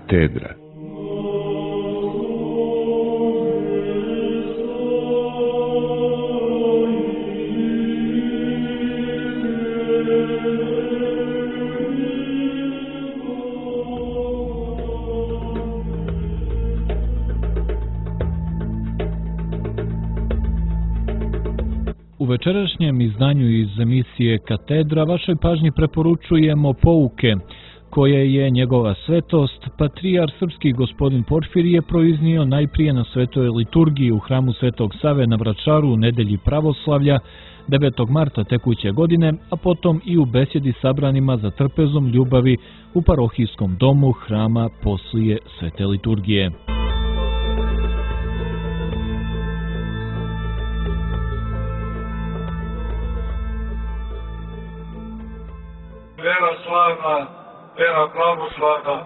katedra. U večerašnjem izdanju iz emisije Katedra vašoj pažnji preporučujemo pouke koje je njegova svetost, patrijar srpski gospodin Porfirije, proiznio najprije na svetoj liturgiji u hramu Svetog Save na Vračaru u nedelji pravoslavlja 9. marta tekuće godine, a potom i u besjedi sabranima za trpezom ljubavi u parohijskom domu hrama poslije svete liturgije. Vera slavna, vera pravoslavna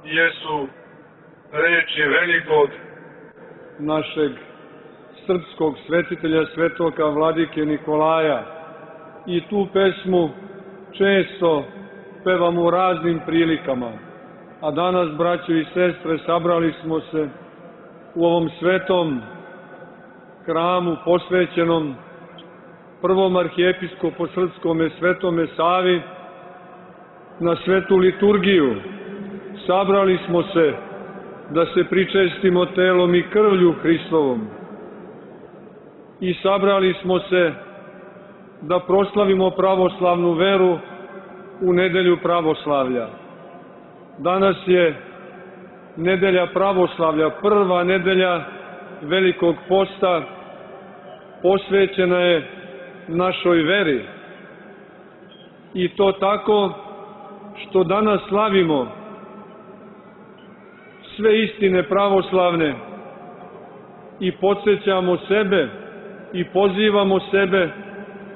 jesu reči velikog našeg srpskog svetitelja svetoga vladike Nikolaja. I tu pesmu često pevamo u raznim prilikama. A danas, braćo i sestre, sabrali smo se u ovom svetom hramu posvećenom prvom arhijepiskopu srpskome Svetome Savi na svetu liturgiju. Sabrali smo se da se pričestimo telom i krvlju Hristovom. I sabrali smo se da proslavimo pravoslavnu veru u nedelju pravoslavlja. Danas je nedelja pravoslavlja, prva nedelja Velikog posta, posvećena je našoj veri. I to tako što danas slavimo sve istine pravoslavne i podsjećamo sebe i pozivamo sebe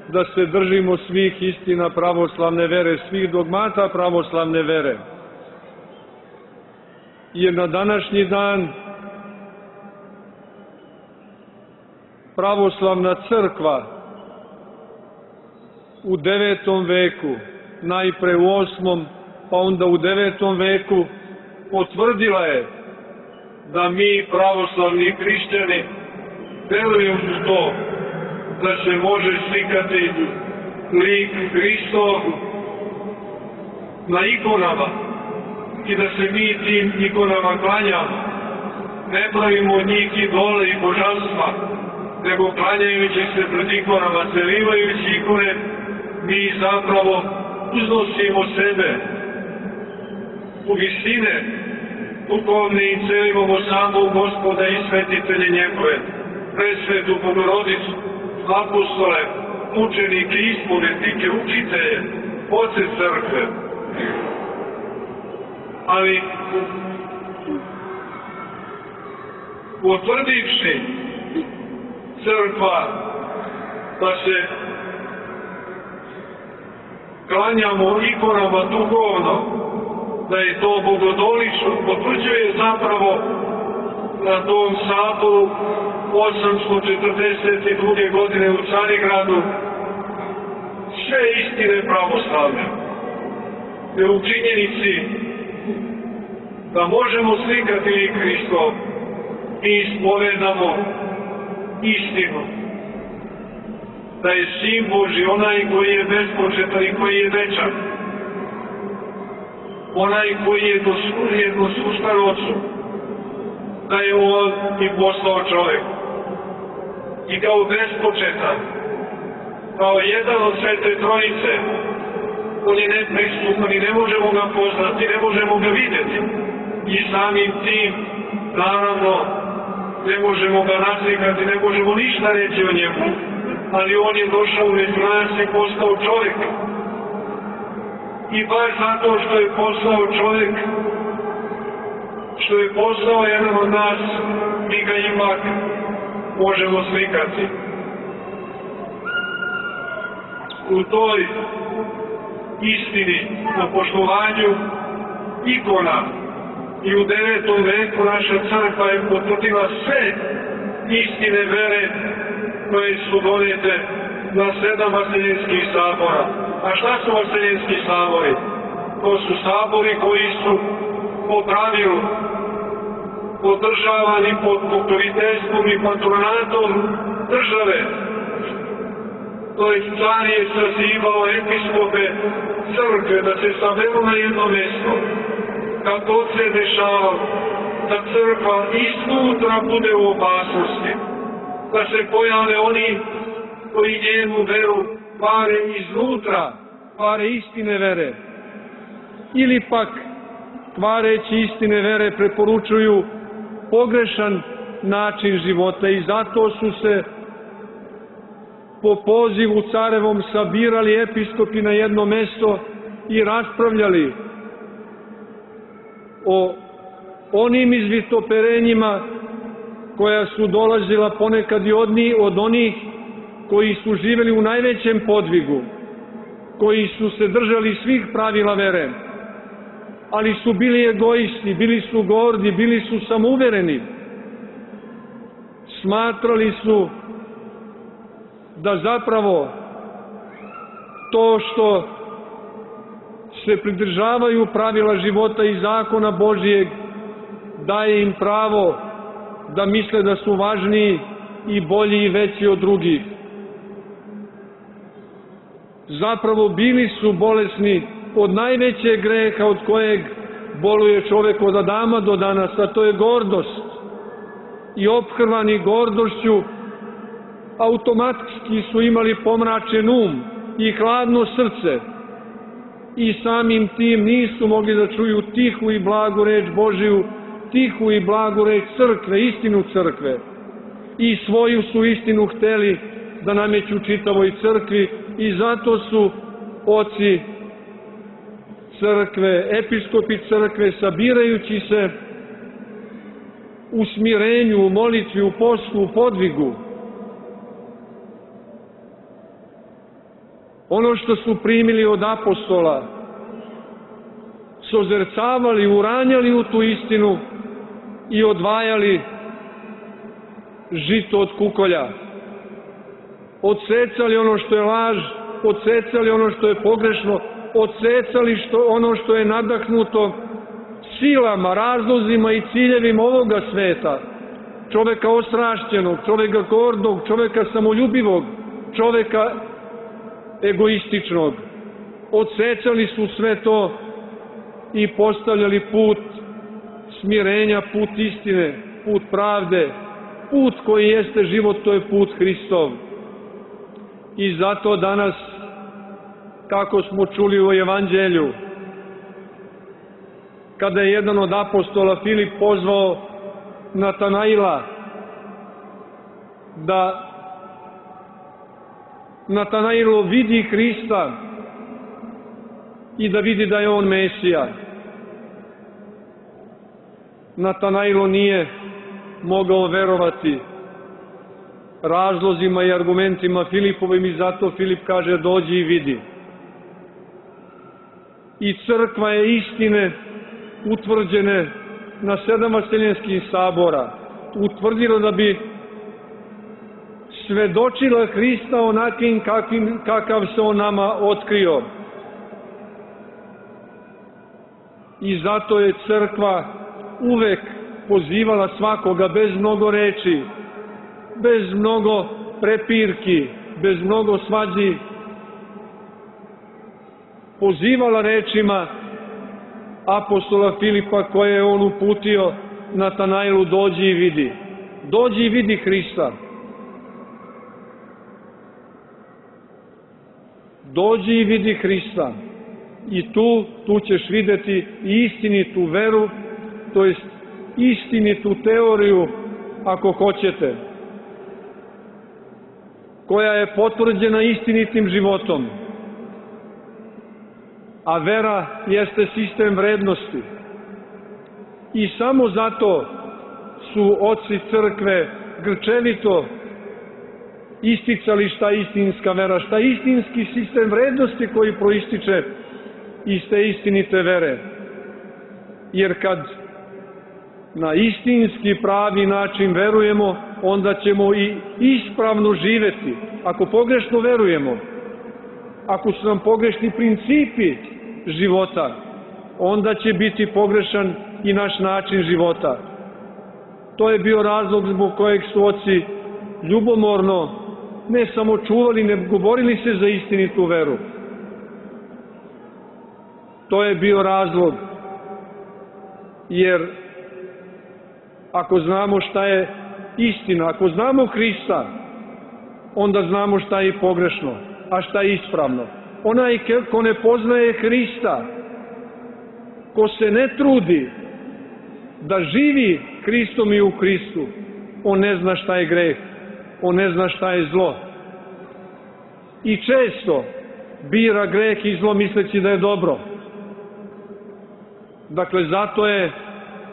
da se držimo svih istina pravoslavne vere, svih dogmata pravoslavne vere. Jer na današnji dan pravoslavna crkva u 9. veku, najpre u 8. pa onda u 9. veku, potvrdila je da mi pravoslavni hrišćani verujemo u to da se može slikati lik Hristov na ikonama i da se mi tim ikonama klanjamo. Ne pravimo od njih idole i božanstva, nego klanjajući se pred ikonama, celivajući ikone, mi zapravo uznosimo sebe u visine duhovne i celivamo samog Gospoda i svetitelje njegove, presvetu Bogorodicu, apostole, mučenike, ispovednike, učitelje, oce crkve. Ali potvrdivši crkva da se klanjamo ikonama duhovno, da je to bogodolično, potvrđuje zapravo na tom saboru 842. godine u Carigradu sve istine pravoslavne. Jer u činjenici da možemo slikati lik Hristov, mi ispovedamo istinu. Da je Sin Božji onaj koji je bespočetan i koji je večan. Onaj koji je jednosluštan Otcu. Da je On i postao čovjek. I kao bespočetan, kao jedan od Svete Trojice, On je nepristupan i ne možemo ga poznati, ne možemo ga vidjeti. I samim tim, naravno, ne možemo ga naslikati, ne možemo ništa reći o njemu. Ali On je došao među nas i postao čovjek. I baš zato što je postao čovjek, što je postao jedan od nas, mi ga ipak možemo slikati. U toj istini, na poštovanju ikona, i u 9. veku naša crkva je potvrdila sve istine vere koje su donete na 7 vaseljenskih sabora. A šta su vaseljenski sabori? To su sabori koji su po pravilu, podržavani pod pokroviteljstvom i patronatom države. To je car je sazivao episkope crkve da se saberu na jedno mjesto. Kako se dešava da crkva iznutra bude u opasnosti, da se pojave oni koji njenu veru kvare iznutra, kvare istine vere, ili pak kvareći istine vere preporučuju pogrešan način života i zato su se po pozivu carevom sabirali episkopi na jedno mesto i raspravljali o onim izvitoperenjima koja su dolazila ponekad i od onih koji su živjeli u najvećem podvigu, koji su se držali svih pravila vere, ali su bili egoisti, bili su gordi, bili su samouvereni. Smatrali su da zapravo to što se pridržavaju pravila života i zakona Božijeg daje im pravo da misle da su važniji i bolji i veći od drugih. Zapravo bili su bolesni od najvećeg greha od kojeg boluje čovjek od Adama do danas, a to je gordost. I ophrvani gordošću automatski su imali pomračen um i hladno srce i samim tim nisu mogli da čuju tihu i blagu reč Božiju, tihu i blagu reč crkve, istinu crkve. I svoju su istinu hteli da nameću čitavoj crkvi i zato su oci crkve, episkopi crkve, sabirajući se u smirenju, u molitvi, u postu, u podvigu, ono što su primili od apostola, sozercavali, uranjali u tu istinu i odvajali žito od kukolja. Odsecali ono što je laž, odsecali ono što je pogrešno, odsecali ono što je nadahnuto silama, razlozima i ciljevima ovoga sveta, čoveka ostrašćenog, čoveka gordog, čoveka samoljubivog, čoveka egoističnog. Odsecali su sve to i postavljali put smirenja, put istine, put pravde, put koji jeste život, to je put Hristov. I zato danas, kako smo čuli u Evanđelju, kada je jedan od apostola Filip pozvao Natanaila da Natanailo vidi Hrista i da vidi da je on Mesija. Natanailo nije mogao verovati razlozima i argumentima Filipovim i zato Filip kaže dođi i vidi. I crkva je istine utvrđene na 7 vaseljenskih sabora utvrdila da bi svedočila Hrista onakim kakav se on nama otkrio. I zato je crkva uvek pozivala svakoga bez mnogo reči, bez mnogo prepirki, bez mnogo svađi, pozivala rečima apostola Filipa koje je on uputio Natanailu dođi i vidi. Dođi i vidi Hrista. Dođi i vidi Hrista. I tu ćeš vidjeti istinitu veru, to jest istinitu teoriju, ako hoćete, koja je potvrđena istinitim životom. A vera jeste sistem vrednosti. I samo zato su oci crkve grčevito isticali šta je istinska vera, šta je istinski sistem vrednosti koji proističe iz te istinite vere. Jer kad na istinski pravi način verujemo, onda ćemo i ispravno živeti. Ako pogrešno verujemo, ako su nam pogrešni principi života, onda će biti pogrešan i naš način života. To je bio razlog zbog kojeg su oci ljubomorno ne samo čuvali, nego borili se za istinitu veru. To je bio razlog, jer ako znamo šta je istina, ako znamo Hrista, onda znamo šta je pogrešno, a šta je ispravno. Onaj ko ne poznaje Hrista, ko se ne trudi da živi Hristom i u Hristu, on ne zna šta je greh, on ne zna šta je zlo. I često bira greh i zlo misleći da je dobro. Dakle, zato je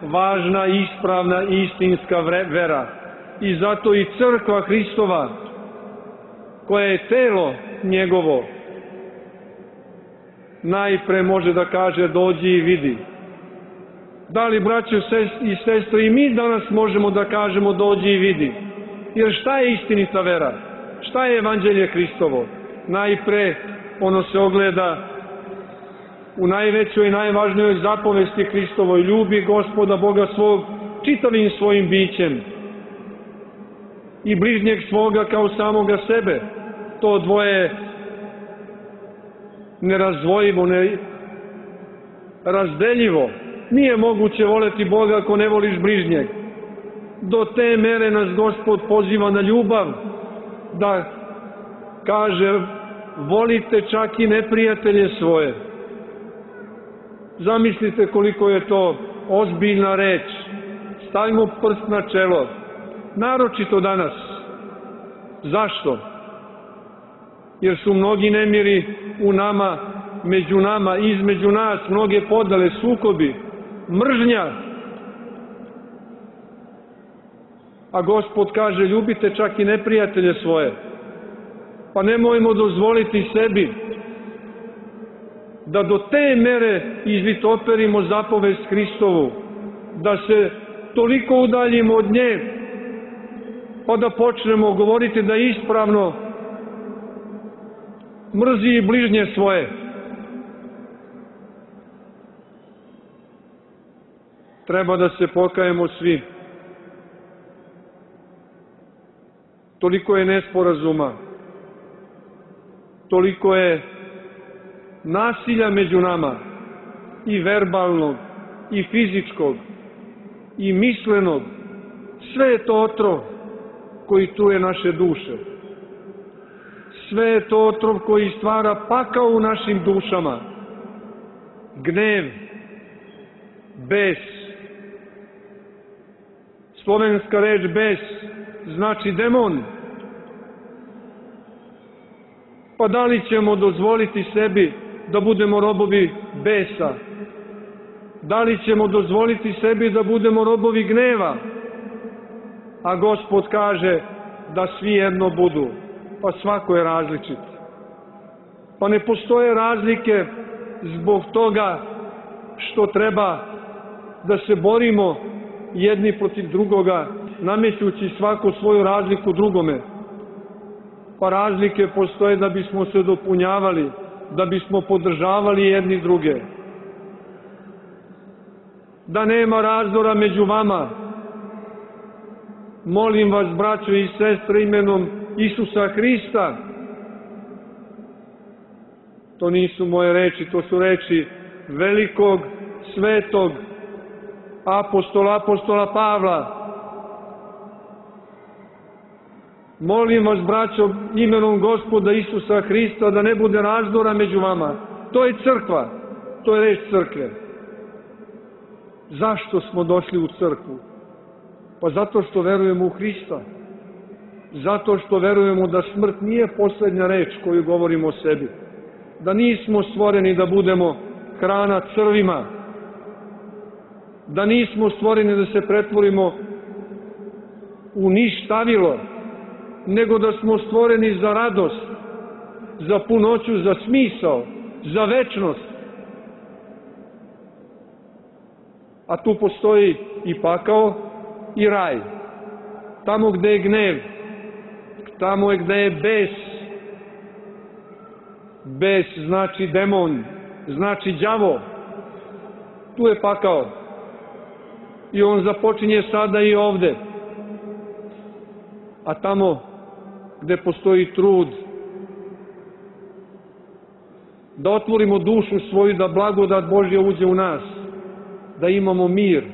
važna, ispravna i istinska vera. I zato i crkva Hristova, koja je telo njegovo, najpre može da kaže dođi i vidi. Da li, braćo i sestre, i mi danas možemo da kažemo dođi i vidi? Jer šta je istinita vera? Šta je evanđelje Hristovo? Najpre ono se ogleda u najvećoj i najvažnijoj zapovesti Hristovoj: ljubi Gospoda Boga svog čitavim svojim bićem i bližnjeg svoga kao samoga sebe. To dvoje nerazdvojivo, nerazdeljivo. Nije moguće voleti Boga ako ne voliš bližnjeg. Do te mere nas Gospod poziva na ljubav, da kaže volite čak i neprijatelje svoje. Zamislite koliko je to ozbiljna reč. Stavimo prst na čelo. Naročito danas. Zašto? Jer su mnogi nemiri u nama, među nama, između nas, mnoge podele, sukobi, mržnja. A Gospod kaže ljubite čak i neprijatelje svoje. Pa nemojmo dozvoliti sebi da do te mere izvitoperimo zapovest Hristovu, da se toliko udaljimo od nje, pa da počnemo govoriti da je ispravno mrzi i bližnje svoje. Treba da se pokajemo svi. Toliko je nesporazuma, toliko je nasilja među nama, i verbalnog, i fizičkog, i mislenog. Sve je to otrov koji truje naše duše. Sve je to otrov koji stvara pakao u našim dušama. Gnev, bes. Slovenska reč bes znači demon. Pa da li ćemo dozvoliti sebi da budemo robovi besa? Da li ćemo dozvoliti sebi da budemo robovi gneva? A Gospod kaže da svi jedno budu. Pa svako je različit. Pa ne postoje razlike zbog toga što treba da se borimo jedni protiv drugoga, namećući svako svoju razliku drugome. Pa razlike postoje da bismo se dopunjavali, da bismo podržavali jedni druge. Da nema razdora među vama. Molim vas, braćo i sestre, imenom Isusa Hrista. To nisu moje reči, to su reči velikog, svetog apostola Pavla. Molim vas, braćo, imenom Gospoda Isusa Hrista, da ne bude razdora među vama. To je crkva, to je reč crkve. Zašto smo došli u crkvu? Pa zato što verujemo u Hrista. Zato što verujemo da smrt nije poslednja reč koju govorimo o sebi. Da nismo stvoreni da budemo hrana crvima. Da nismo stvoreni da se pretvorimo u ništavilo, nego da smo stvoreni za radost, za punoću, za smisao, za večnost. A tu postoji i pakao i raj. Tamo gde je gnev, tamo je gde je bes. Bes znači demon, znači đavo. Tu je pakao. I on započinje sada i ovde. A tamo gde postoji trud, da otvorimo dušu svoju, da blagodat Božja uđe u nas, da imamo mir,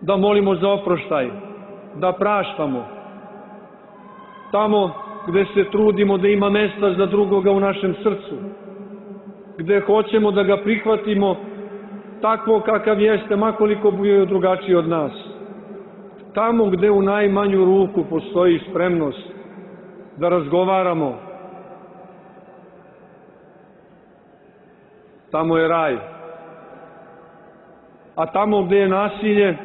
da molimo za oproštaj, da praštamo. Tamo gde se trudimo da ima mesta za drugoga u našem srcu, gde hoćemo da ga prihvatimo takvo kakav jeste, makoliko bio drugačiji od nas. Tamo gde u najmanju ruku postoji spremnost da razgovaramo, tamo je raj. A tamo gde je nasilje,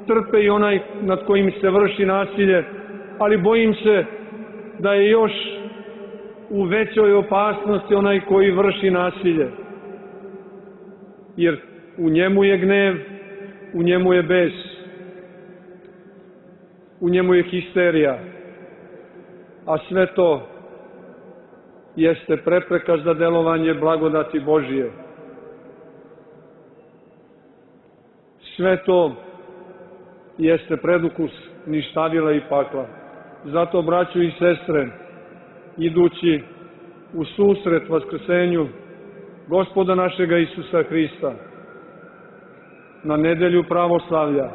trpe i onaj nad kojim se vrši nasilje, ali bojim se da je još u većoj opasnosti onaj koji vrši nasilje. Jer u njemu je gnev, u njemu je bes, u njemu je histerija, a sve to jeste prepreka za delovanje blagodati Božije. Sve to jeste predukus ništavila i pakla. Zato, braćo i sestre, idući u susret vaskrsenju Gospoda našega Isusa Hrista, na nedelju pravoslavlja,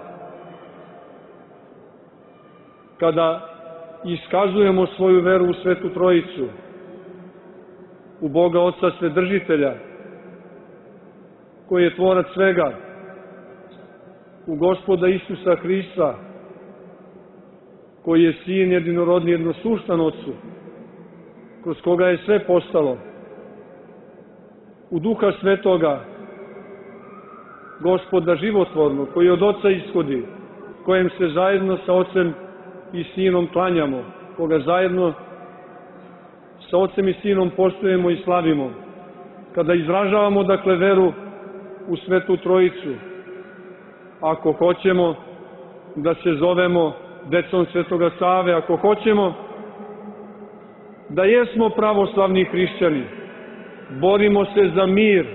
kada iskazujemo svoju veru u Svetu Trojicu, u Boga Oca Svedržitelja, koji je tvorac svega, u Gospoda Isusa Hrista, koji je sin jedinorodni, jednosuštan Otcu, kroz koga je sve postalo, u Duha Svetoga, Gospoda životvornog, koji od Oca ishodi, kojem se zajedno sa Ocem i Sinom klanjamo, koga zajedno sa Ocem i Sinom poštujemo i slavimo. Kada izražavamo, dakle, veru u Svetu Trojicu, ako hoćemo da se zovemo decom Svetoga Save, ako hoćemo da jesmo pravoslavni hrišćani, borimo se za mir.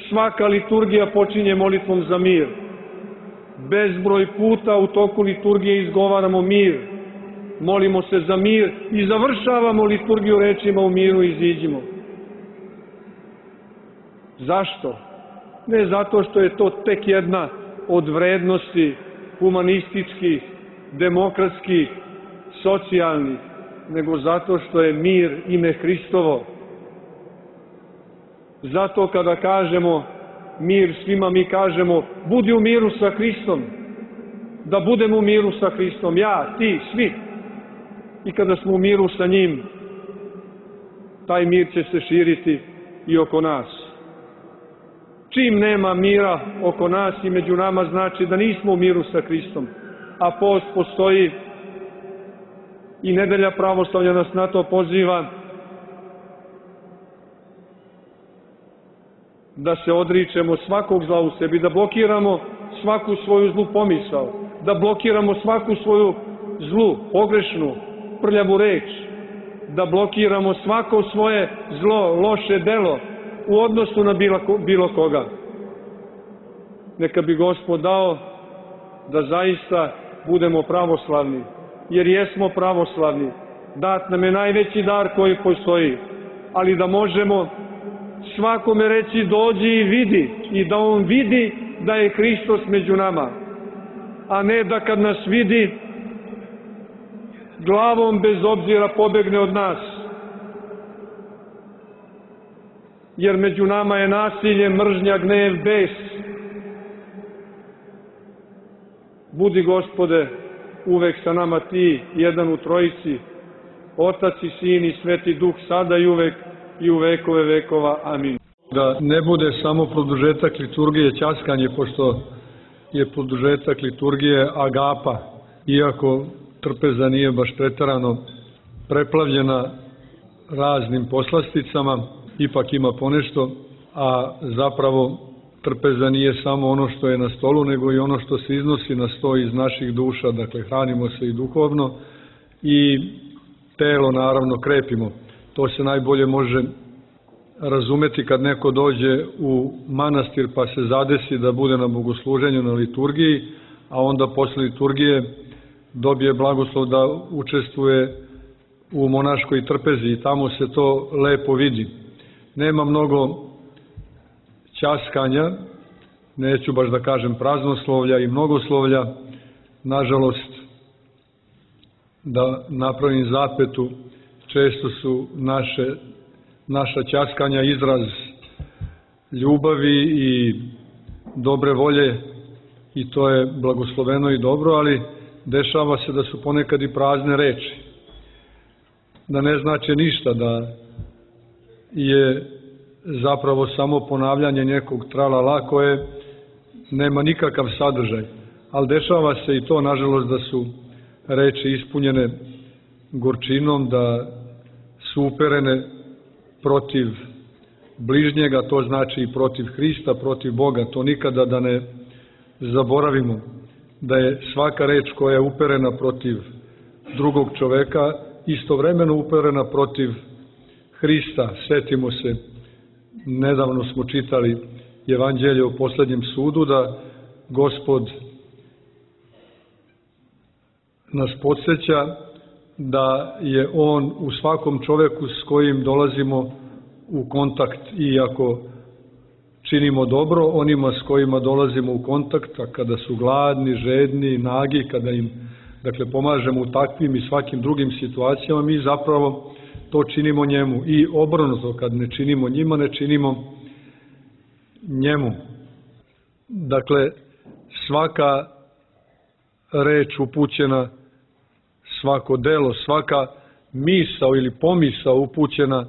Svaka liturgija počinje molitvom za mir. Bezbroj puta u toku liturgije izgovaramo mir. Molimo se za mir i završavamo liturgiju rečima u miru iziđimo. Zašto? Ne zato što je to tek jedna od vrednosti humanističkih, demokratskih, socijalnih, nego zato što je mir ime Hristovo. Zato kada kažemo mir svima, mi kažemo budi u miru sa Hristom, da budemo u miru sa Hristom, ja, ti, svi. I kada smo u miru sa njim, taj mir će se širiti i oko nas. Čim nema mira oko nas i među nama, znači da nismo u miru sa Hristom. A post postoji i nedelja pravoslavlja nas na to poziva, da se odričemo svakog zla u sebi, da blokiramo svaku svoju zlu pomisao, da blokiramo svaku svoju zlu, pogrešnu, prljavu reč, da blokiramo svako svoje zlo, loše delo u odnosu na bilo koga. Neka bi Gospod dao da zaista budemo pravoslavni, jer jesmo pravoslavni. Dat nam je najveći dar koji postoji, ali da možemo svakome reći dođi i vidi, i da on vidi da je Hristos među nama, a ne da kad nas vidi glavom bez obzira pobegne od nas. Jer među nama je nasilje, mržnja, gnev, bes. Budi, Gospode, uvek sa nama ti, jedan u Trojici, Otac i Sin i Sveti Duh, sada i uvek i u vekove vekova. Amin. Da ne bude samo produžetak liturgije ćaskanje, pošto je produžetak liturgije agapa, iako trpeza nije baš preterano preplavljena raznim poslasticama, ipak ima ponešto, a zapravo trpeza nije samo ono što je na stolu, nego i ono što se iznosi na sto iz naših duša, dakle hranimo se i duhovno i telo naravno krepimo. To se najbolje može razumeti kad neko dođe u manastir pa se zadesi da bude na bogosluženju, na liturgiji, a onda posle liturgije dobije blagoslov da učestvuje u monaškoj trpezi i tamo se to lepo vidi. Nema mnogo ćaskanja, neću baš da kažem praznoslovlja i mnogoslovlja, nažalost, da napravim zapetu, često su naša ćaskanja izraz ljubavi i dobre volje i to je blagosloveno i dobro, ali dešava se da su ponekad i prazne reči, da ne znače ništa, da je zapravo samo ponavljanje nekog tralala koje nema nikakav sadržaj, ali dešava se i to, nažalost, da su reči ispunjene gorčinom, da su uperene protiv bližnjega, to znači i protiv Hrista, protiv Boga. To nikada da ne zaboravimo, da je svaka reč koja je uperena protiv drugog čoveka istovremeno uperena protiv Hrista. Setimo se, nedavno smo čitali Evanđelje o poslednjem sudu, da Gospod nas podsjeća da je On u svakom čoveku s kojim dolazimo u kontakt, i ako činimo dobro onima s kojima dolazimo u kontakt, a kada su gladni, žedni, nagi, kada im pomažemo u takvim i svakim drugim situacijama, mi zapravo to činimo njemu. I obrnuto, kad ne činimo njima, ne činimo njemu. Dakle, svaka reč upućena, svako delo, svaka misao ili pomisao upućena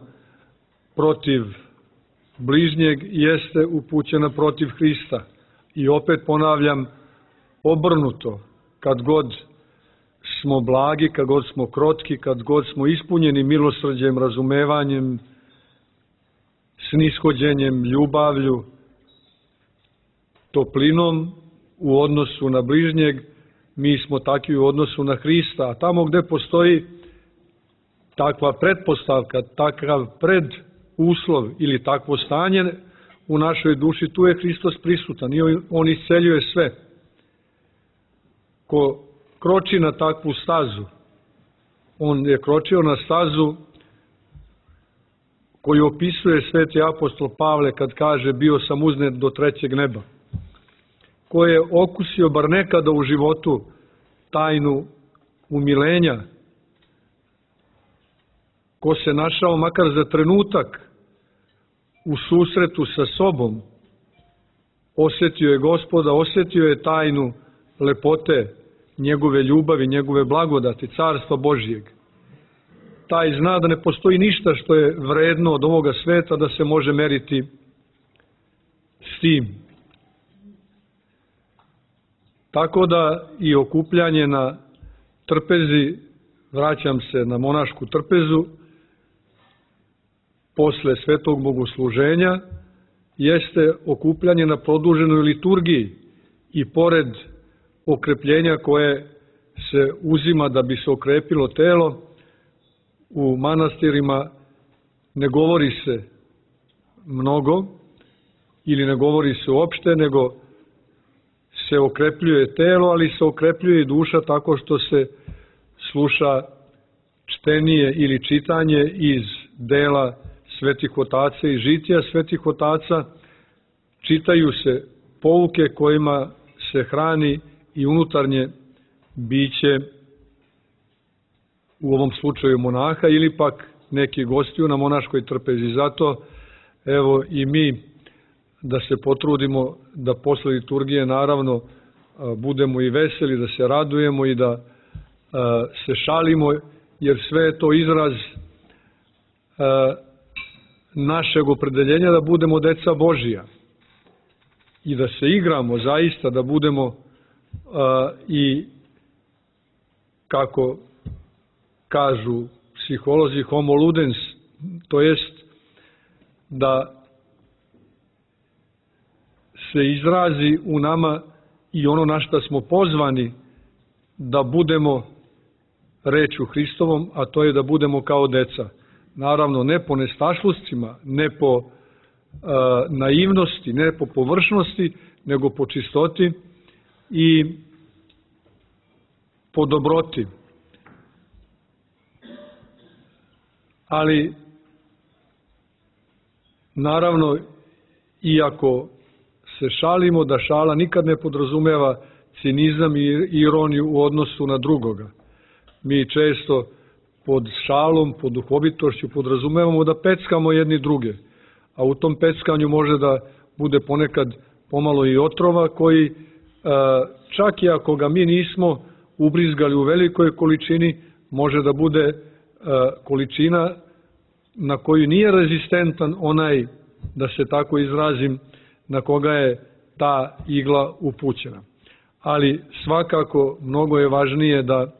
protiv bližnjeg jeste upućena protiv Hrista. I opet ponavljam, obrnuto, kad god smo blagi, kad god smo krotki, kad god smo ispunjeni milosrđem, razumevanjem, snishođenjem, ljubavlju, toplinom u odnosu na bližnjeg, mi smo takvi u odnosu na Hrista. A tamo gde postoji takva pretpostavka, takav preduslov ili takvo stanje u našoj duši, tu je Hristos prisutan i On isceljuje sve. Ko kroči na takvu stazu, on je kročio na stazu koju opisuje sveti apostol Pavle kad kaže bio sam uznet do 3. neba. Ko je okusio bar nekada u životu tajnu umilenja, ko se našao makar za trenutak u susretu sa sobom, osjetio je Gospoda, osjetio je tajnu lepote njegove ljubavi, njegove blagodati, carstva Božijeg. Taj zna da ne postoji ništa što je vredno od ovoga sveta da se može meriti s tim. Tako da i okupljanje na trpezi, vraćam se na monašku trpezu, posle svetog bogosluženja, jeste okupljanje na produženoj liturgiji i pored okrepljenja koje se uzima da bi se okrepilo telo, u manastirima ne govori se mnogo ili ne govori se uopšte, nego se okrepljuje telo, ali se okrepljuje i duša tako što se sluša čtenije ili čitanje iz dela svetih otaca i žitija svetih otaca, čitaju se pouke kojima se hrani i unutarnje biće, u ovom slučaju monaha, ili pak neki gostiju na monaškoj trpezi. Zato, evo i mi da se potrudimo da posle liturgije naravno budemo i veseli, da se radujemo i da se šalimo, jer sve je to izraz našeg opredeljenja da budemo deca Božija i da se igramo zaista, da budemo i, kako kažu psiholozi, homo ludens, to jest da se izrazi u nama i ono na što smo pozvani da budemo rečju Hristovom, a to je da budemo kao deca. naravno ne po nestašluscima, ne po naivnosti, ne po površnosti, nego po čistoti i po dobroti. Ali, naravno, iako se šalimo, da šala nikad ne podrazumeva cinizam i ironiju u odnosu na drugoga. Mi često pod šalom, pod duhovitošću podrazumevamo da peckamo jedni druge, a u tom peckanju može da bude ponekad pomalo i otrova koji, čak i ako ga mi nismo ubrizgali u velikoj količini, može da bude količina na koju nije rezistentan onaj, da se tako izrazim, na koga je ta igla upućena. Ali svakako mnogo je važnije da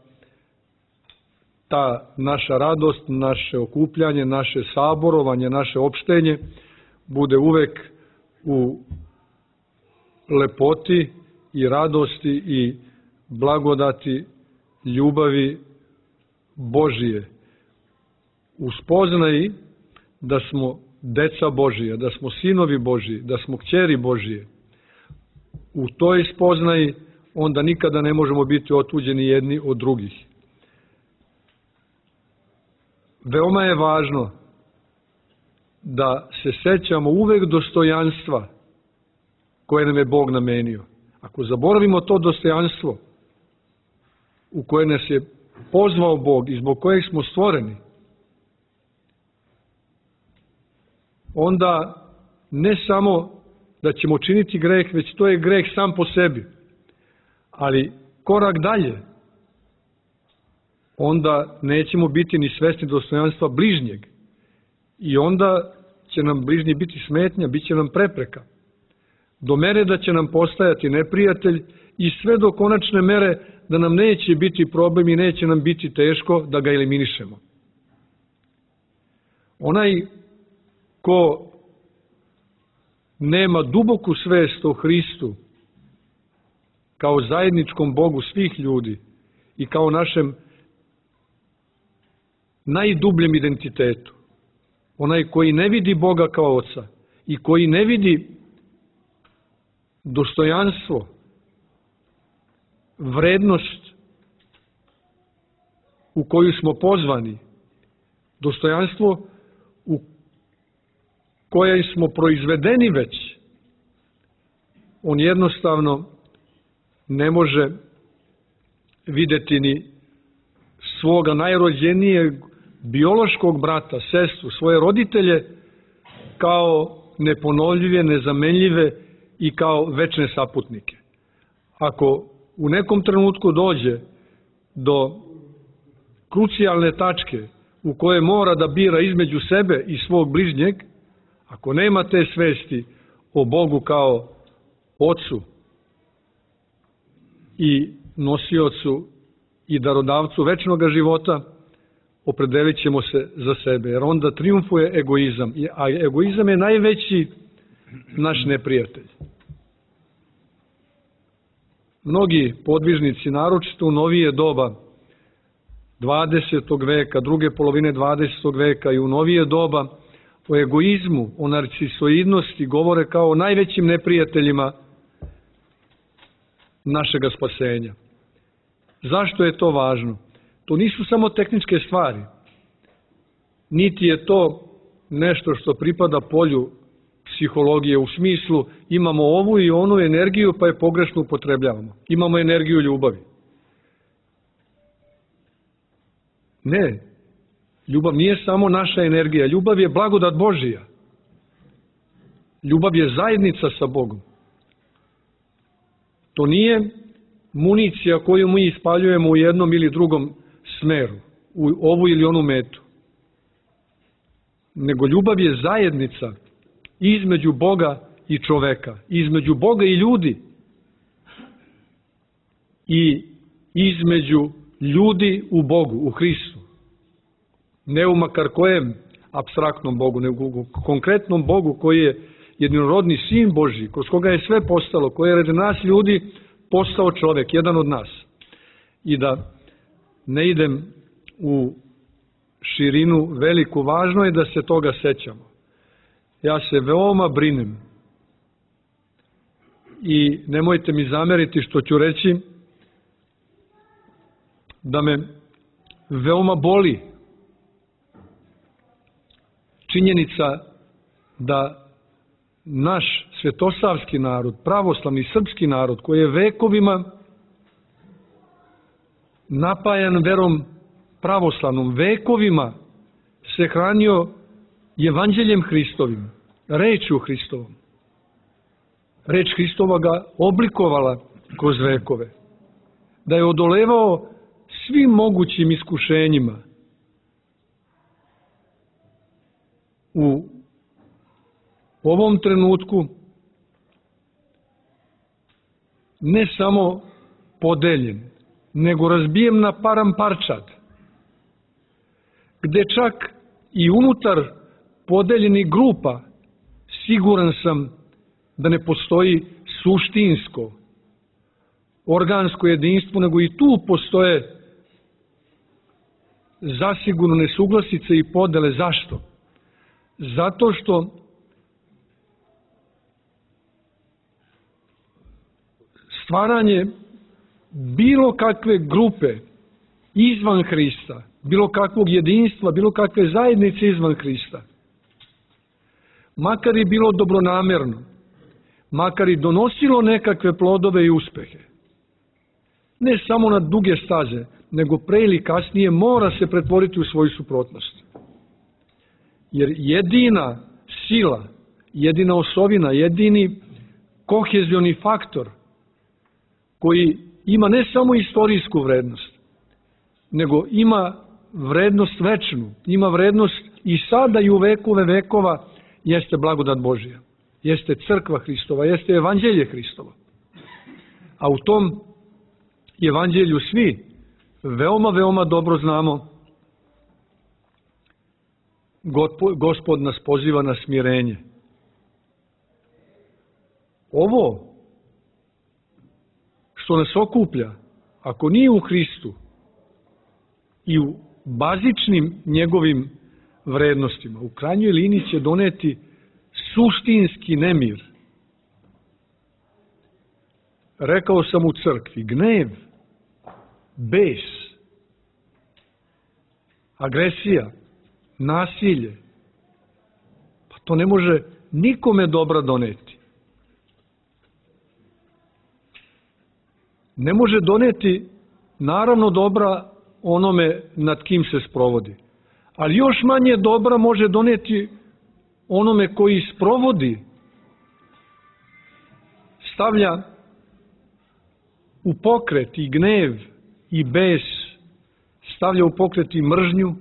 ta naša radost, naše okupljanje, naše saborovanje, naše opštenje bude uvek u lepoti i radosti i blagodati ljubavi Božije. U spoznaji da smo deca Božija, da smo sinovi Božiji, da smo kćeri Božije. U toj spoznaji onda nikada ne možemo biti otuđeni jedni od drugih. Veoma je važno da se sećamo uvek dostojanstva koje nam je Bog namenio. Ako zaboravimo to dostojanstvo u koje nas je pozvao Bog i zbog kojeg smo stvoreni, onda ne samo da ćemo činiti greh, već to je greh sam po sebi. Ali korak dalje, onda nećemo biti ni svesni dostojanstva bližnjeg. I onda će nam bližnji biti smetnja, bit će nam prepreka. Do mere da će nam postajati neprijatelj i sve do konačne mere da nam neće biti problem i neće nam biti teško da ga eliminišemo. Onaj ko nema duboku svest o Hristu kao zajedničkom Bogu svih ljudi i kao našem najdubljem identitetu, onaj koji ne vidi Boga kao Oca i koji ne vidi dostojanstvo, vrednost u koju smo pozvani, dostojanstvo u koje smo proizvedeni već, on jednostavno ne može videti ni svoga najrođenijeg biološkog brata, sestru, svoje roditelje kao neponovljive, nezamenljive i kao večne saputnike. Ako u nekom trenutku dođe do krucijalne tačke u koje mora da bira između sebe i svog bližnjeg, ako nema te svesti o Bogu kao Ocu i nosiocu i darodavcu večnog života, opredelit ćemo se za sebe, jer onda triumfuje egoizam, a egoizam je najveći naš neprijatelj. Mnogi podvižnici, naročito u novije doba 20. veka, druge polovine 20. veka i u novije doba, o egoizmu, o narcisoidnosti govore kao o najvećim neprijateljima našega spasenja. Zašto je to važno? To nisu samo tehničke stvari, niti je to nešto što pripada polju psihologije u smislu imamo ovu i onu energiju pa je pogrešno upotrebljavamo. Imamo energiju ljubavi. Ne, ljubav nije samo naša energija, ljubav je blagodat Božija. Ljubav je zajednica sa Bogom. To nije municija koju mi ispaljujemo u jednom ili drugom smeru, u ovu ili onu metu. Nego ljubav je zajednica između Boga i čoveka, između Boga i ljudi i između ljudi u Bogu, u Hristu. Ne u makar kojem apstraktnom Bogu, nego u konkretnom Bogu koji je jedinorodni Sin Božji, kroz koga je sve postalo, koji je radi nas ljudi postao čovek, jedan od nas. I da ne idem u širinu veliku. Važno je da se toga sećamo. Ja se veoma brinem i nemojte mi zameriti što ću reći da me veoma boli činjenica da naš svetosavski narod, pravoslavni srpski narod, koji je vekovima napajan verom pravoslavnom, vekovima se hranio evanđeljem Hristovim, rečju Hristovom. Reč Hristova ga oblikovala kroz vekove. Da je odolevao svim mogućim iskušenjima u ovom trenutku, ne samo podeljen, nego razbijem na param parčad, gde čak i unutar podeljenih grupa siguran sam da ne postoji suštinsko, organsko jedinstvo, nego i tu postoje zasigurno nesuglasice i podele. Zašto? Zato što stvaranje bilo kakve grupe izvan Hrista, bilo kakvog jedinstva, bilo kakve zajednice izvan Hrista, makar i bilo dobronamerno, makar i donosilo nekakve plodove i uspehe, ne samo na duge staze, nego pre ili kasnije mora se pretvoriti u svoju suprotnost. Jer jedina sila, jedina osovina, jedini kohezioni faktor koji ima ne samo istorijsku vrednost, nego ima vrednost večnu, ima vrednost i sada i u vekove vekova, jeste blagodat Božja, jeste crkva Hristova, jeste evanđelje Hristovo. A u tom evanđelju svi veoma dobro znamo, Gospod nas poziva na smirenje. Ovo što nas okuplja, ako nije u Hristu i u bazičnim njegovim vrednostima, u krajnjoj liniji će doneti suštinski nemir. Rekao sam u crkvi, gnev, bes, agresija, nasilje, pa to ne može nikome dobra doneti. Ne može doneti naravno dobra onome nad kim se sprovodi, ali još manje dobra može doneti onome koji sprovodi, stavlja u pokret i gnev i bes, stavlja u pokret i mržnju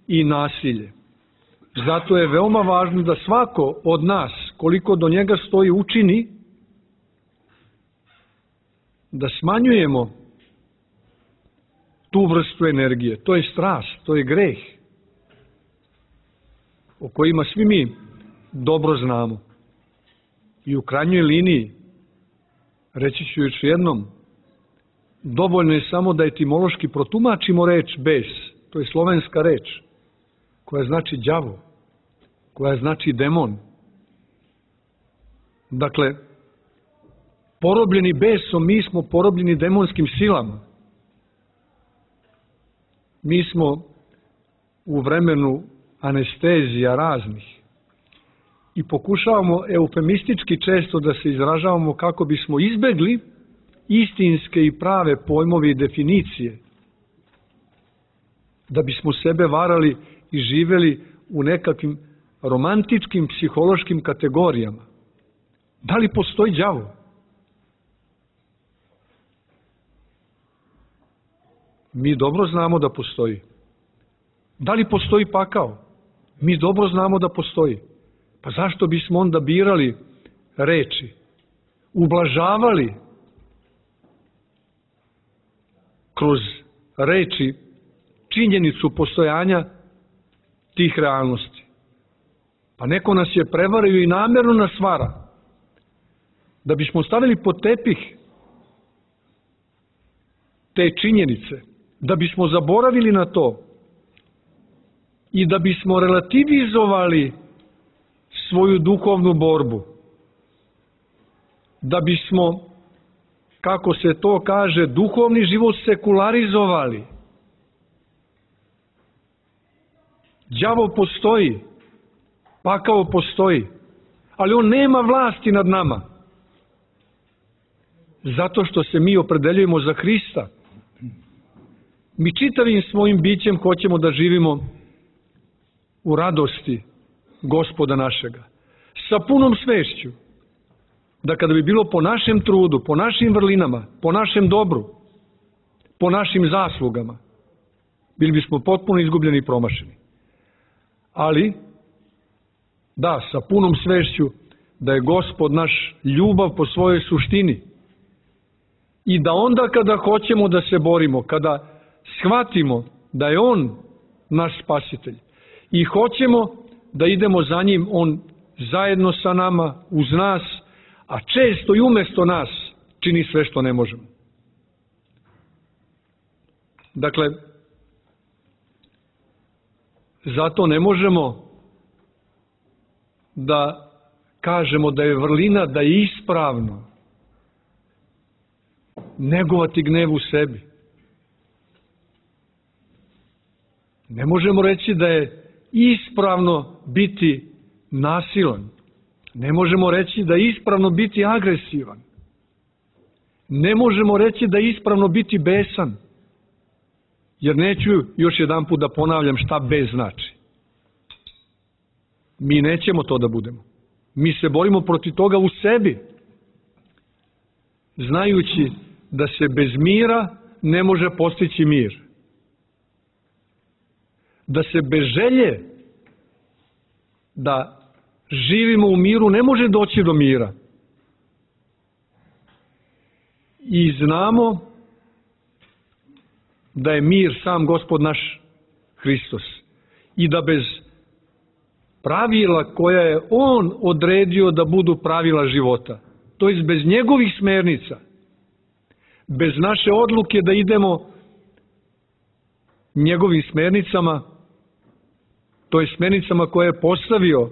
i nasilje. Zato je veoma važno da svako od nas, koliko do njega stoji, učini da smanjujemo tu vrstu energije. To je strast, to je greh, o kojima svi mi dobro znamo. I u krajnjoj liniji, reći ću još jednom, dovoljno je samo da etimološki protumačimo reč bes, to je slovenska reč, koja znači đavo, koja znači demon. Dakle, porobljeni besom, mi smo porobljeni demonskim silama. Mi smo u vremenu anestezija raznih i pokušavamo eufemistički često da se izražavamo kako bismo izbegli istinske i prave pojmovi i definicije, da bismo sebe varali i živeli u nekakvim romantičkim psihološkim kategorijama. Da li postoji đavo? Mi dobro znamo da postoji. Da li postoji pakao? Mi dobro znamo da postoji. Pa zašto bismo onda birali reči, ublažavali kroz reči činjenicu postojanja tih realnosti? Pa neko nas je prevario i namjerno nas vara, da bismo stavili pod tepih te činjenice, da bismo zaboravili na to i da bismo relativizovali svoju duhovnu borbu, da bismo, kako se to kaže, duhovni život sekularizovali. Đavo postoji, pakao postoji, ali on nema vlasti nad nama. Zato što se mi opredeljujemo za Hrista. Mi čitavim svojim bićem hoćemo da živimo u radosti Gospoda našega. Sa punom svešću da kada bi bilo po našem trudu, po našim vrlinama, po našem dobru, po našim zaslugama, bili bismo potpuno izgubljeni i promašeni. Ali, da, sa punom svešću da je Gospod naš ljubav po svojoj suštini i da onda kada hoćemo da se borimo, kada shvatimo da je On naš spasitelj i hoćemo da idemo za njim, On zajedno sa nama, uz nas, a često i umesto nas čini sve što ne možemo. Dakle, zato ne možemo da kažemo da je vrlina, da je ispravno negovati gnev u sebi. Ne možemo reći da je ispravno biti nasilan. Ne možemo reći da je ispravno biti agresivan. Ne možemo reći da je ispravno biti besan. Jer neću još jedan put da ponavljam šta bes znači. Mi nećemo to da budemo. Mi se borimo protiv toga u sebi, znajući da se bez mira ne može postići mir. Da se bez želje da živimo u miru ne može doći do mira. I znamo da je mir sam Gospod naš Hristos i da bez pravila koja je On odredio da budu pravila života, to jest bez njegovih smernica, bez naše odluke da idemo njegovim smernicama, to je smernicama koje je postavio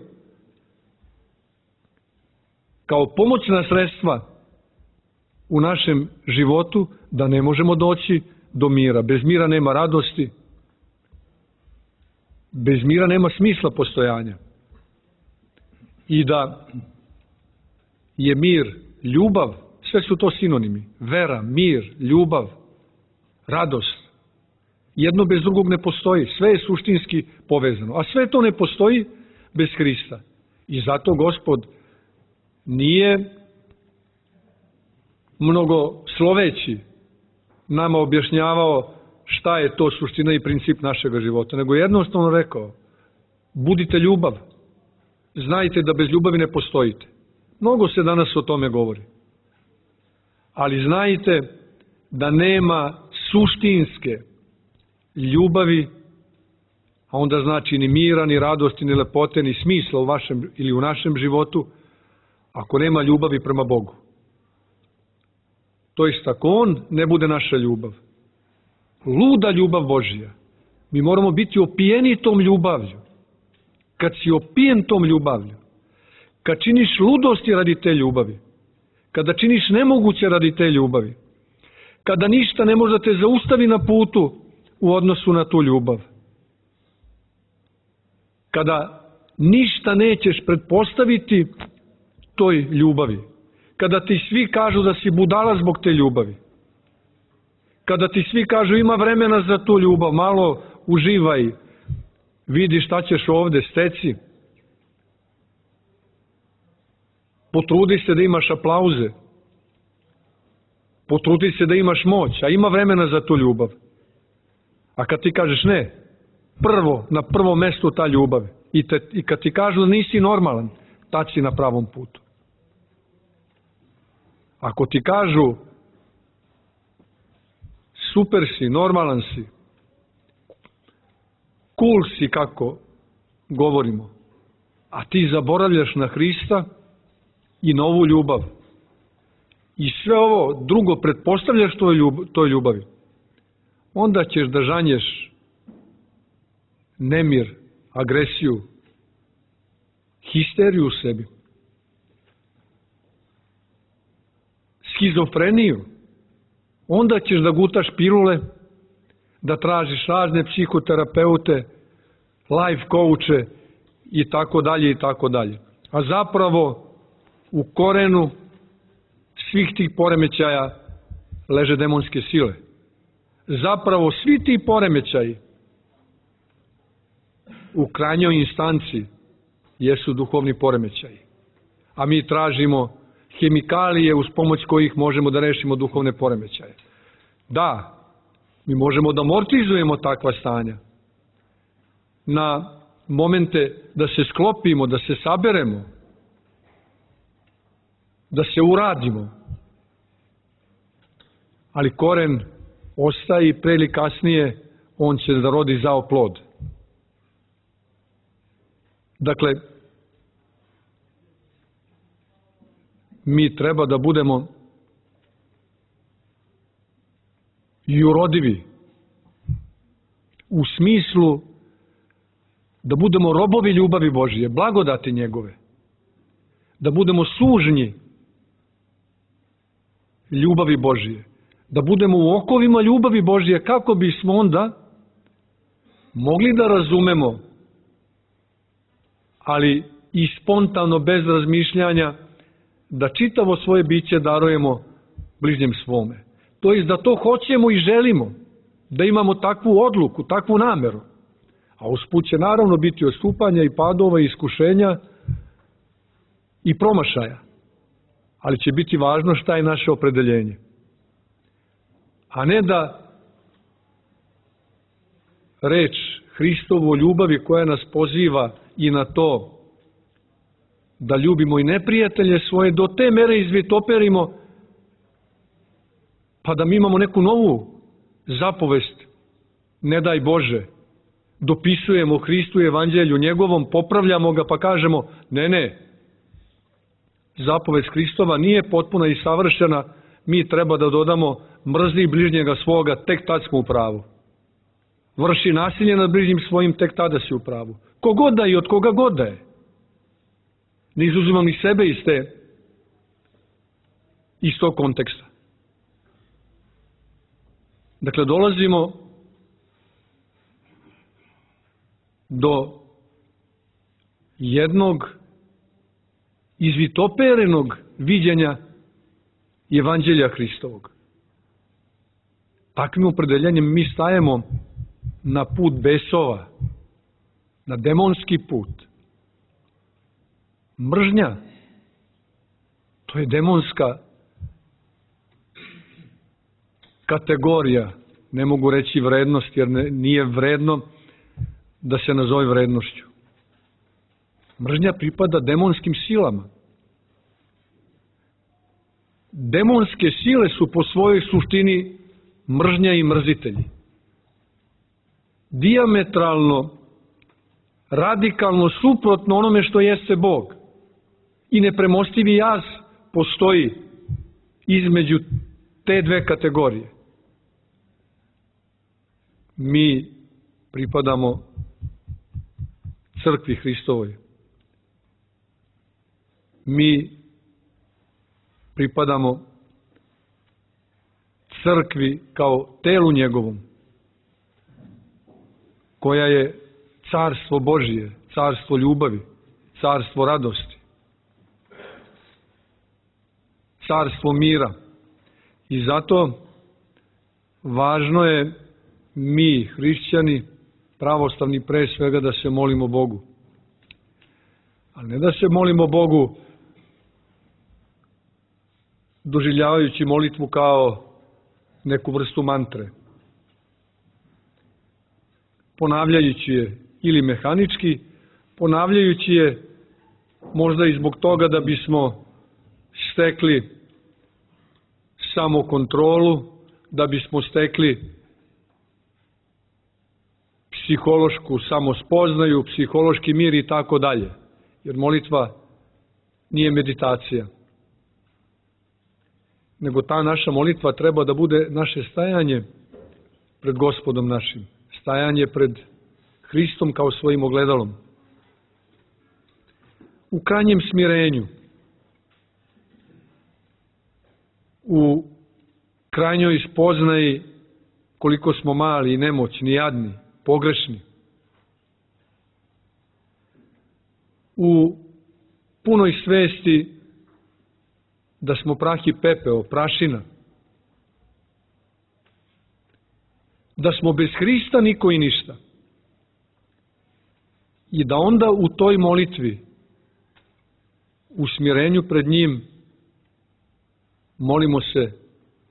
kao pomoćna sredstva u našem životu, da ne možemo doći do mira. Bez mira nema radosti, bez mira nema smisla postojanja. I da je mir ljubav, sve su to sinonimi. Vera, mir, ljubav, radost. Jedno bez drugog ne postoji. Sve je suštinski povezano. A sve to ne postoji bez Hrista. I zato Gospod nije mnogo sloveći nama objašnjavao šta je to suština i princip našega života, nego jednostavno rekao: budite ljubav. Znajte da bez ljubavi ne postojite. Mnogo se danas o tome govori. Ali znajte da nema suštinske ljubavi, a onda znači ni mira, ni radosti, ni lepote, ni smisla u vašem ili u našem životu, ako nema ljubavi prema Bogu. To jest ako On ne bude naša ljubav. Luda ljubav Božija. Mi moramo biti opijeni tom ljubavlju. Kad si opijen tom ljubavlju, kad činiš ludosti radi te ljubavi, kada činiš nemoguće radi te ljubavi, kada ništa ne može da te zaustavi na putu u odnosu na tu ljubav, kada ništa nećeš pretpostaviti toj ljubavi, kada ti svi kažu da si budala zbog te ljubavi, kada ti svi kažu ima vremena za tu ljubav, malo uživaj, vidi šta ćeš ovde, steci, potrudi se da imaš aplauze, potrudi se da imaš moć, a ima vremena za tu ljubav. A kad ti kažeš ne, na prvom mestu ta ljubav, i kad ti kažu da nisi normalan, tad si na pravom putu. Ako ti kažu super si, normalan si, cool si, kako govorimo, a ti zaboravljaš na Hrista i na ovu ljubav i sve ovo drugo pretpostavljaš toj ljubavi, onda ćeš da žanješ nemir agresiju, histeriju u sebi, schizofreniju, onda ćeš da gutaš pilule, da tražiš razne psihoterapeute, life coache i tako dalje i tako dalje. A zapravo u korenu svih tih poremećaja leže demonske sile. Zapravo svi ti poremećaji u krajnjoj instanci jesu duhovni poremećaji. A mi tražimo hemikalije uz pomoć kojih možemo da rešimo duhovne poremećaje. Da, mi možemo da amortizujemo takva stanja na momente da se sklopimo, da se saberemo, da se uradimo. Ali koren ostaje i pre ili kasnije on će da rodi zao plod. Dakle, mi treba da budemo i urodivi u smislu da budemo robovi ljubavi Božije, blagodati njegove, da budemo sužnji ljubavi Božije, da budemo u okovima ljubavi Božije, kako bismo onda mogli da razumemo, ali i spontano, bez razmišljanja, da čitavo svoje biće darujemo bližnjem svome. To jest da to hoćemo i želimo, da imamo takvu odluku, takvu nameru. A usput će naravno biti odstupanja i padova i iskušenja i promašaja. Ali će biti važno šta je naše opredeljenje. A ne da reč Hristovu o ljubavi koja nas poziva i na to da ljubimo i neprijatelje svoje, do te mere izvitoperimo, pa da mi imamo neku novu zapovest, ne daj Bože, dopisujemo Hristu i evanđelju njegovom, popravljamo ga pa kažemo, ne, zapovest Hristova nije potpuna i savršena, mi treba da dodamo mrzi bližnjega svoga, tek tad smo u pravu. Vrši nasilje nad bližnjim svojim, tek tada si u pravu. Kogod da i od koga god da je. Ne izuzimam ni sebe iz tog konteksta. Dakle, dolazimo do jednog izvitoperenog viđenja evanđelja Hristovog. Takvim opredeljenjem mi stajemo na put besova, na demonski put. Mržnja, to je demonska kategorija, ne mogu reći vrednost, jer nije vredno da se nazove vrednošću. Mržnja pripada demonskim silama. Demonske sile su po svojoj suštini mržnja i mrzitelji. Dijametralno, radikalno suprotno onome što jeste Bog. I nepremostivi jaz postoji između te dve kategorije. Mi pripadamo crkvi Hristovoj. Mi pripadamo crkvi kao telu njegovom, koja je carstvo Božije, carstvo ljubavi, carstvo radosti, carstvo mira. I zato važno je mi, hrišćani, pravoslavni, pre svega da se molimo Bogu. Ali ne da se molimo Bogu doživljavajući molitvu kao neku vrstu mantre, ponavljajući je ili mehanički, ponavljajući je možda i zbog toga da bismo stekli samokontrolu, da bismo stekli psihološku samospoznaju, psihološki mir i tako dalje. Jer molitva nije meditacija. Nego ta naša molitva treba da bude naše stajanje pred Gospodom našim. Stajanje pred Hristom kao svojim ogledalom. U krajnjem smirenju, u krajnjoj spoznaji koliko smo mali i nemoćni, jadni, pogrešni, u punoj svesti da smo prah i pepeo, prašina, da smo bez Hrista niko i ništa. I da onda u toj molitvi, u smirenju pred njim, molimo se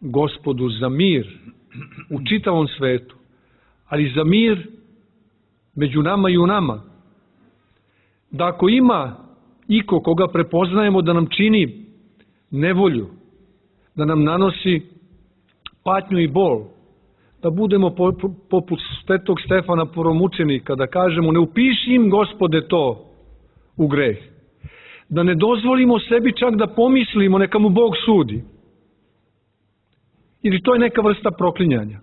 Gospodu za mir u čitavom svetu, ali za mir među nama i u nama. Da ako ima iko koga prepoznajemo da nam čini nevolju, da nam nanosi patnju i bol, da budemo poput svetog Stefana Prvomučenika, da kažemo ne upiši im, Gospode, to u greh. Da ne dozvolimo sebi čak da pomislimo neka mu Bog sudi. Ili to je neka vrsta proklinjanja.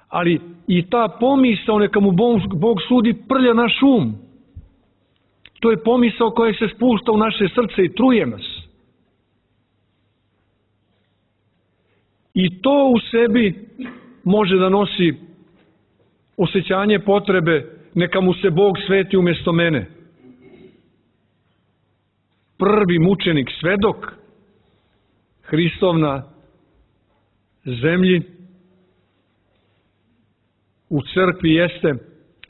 Ali i ta pomisao neka mu Bog sudi prlja naš um. To je pomisao koja se spušta u naše srce i truje nas. I to u sebi može da nosi osjećanje potrebe neka mu se Bog sveti umjesto mene. Prvi mučenik, svedok Hristov na zemlji u crkvi jeste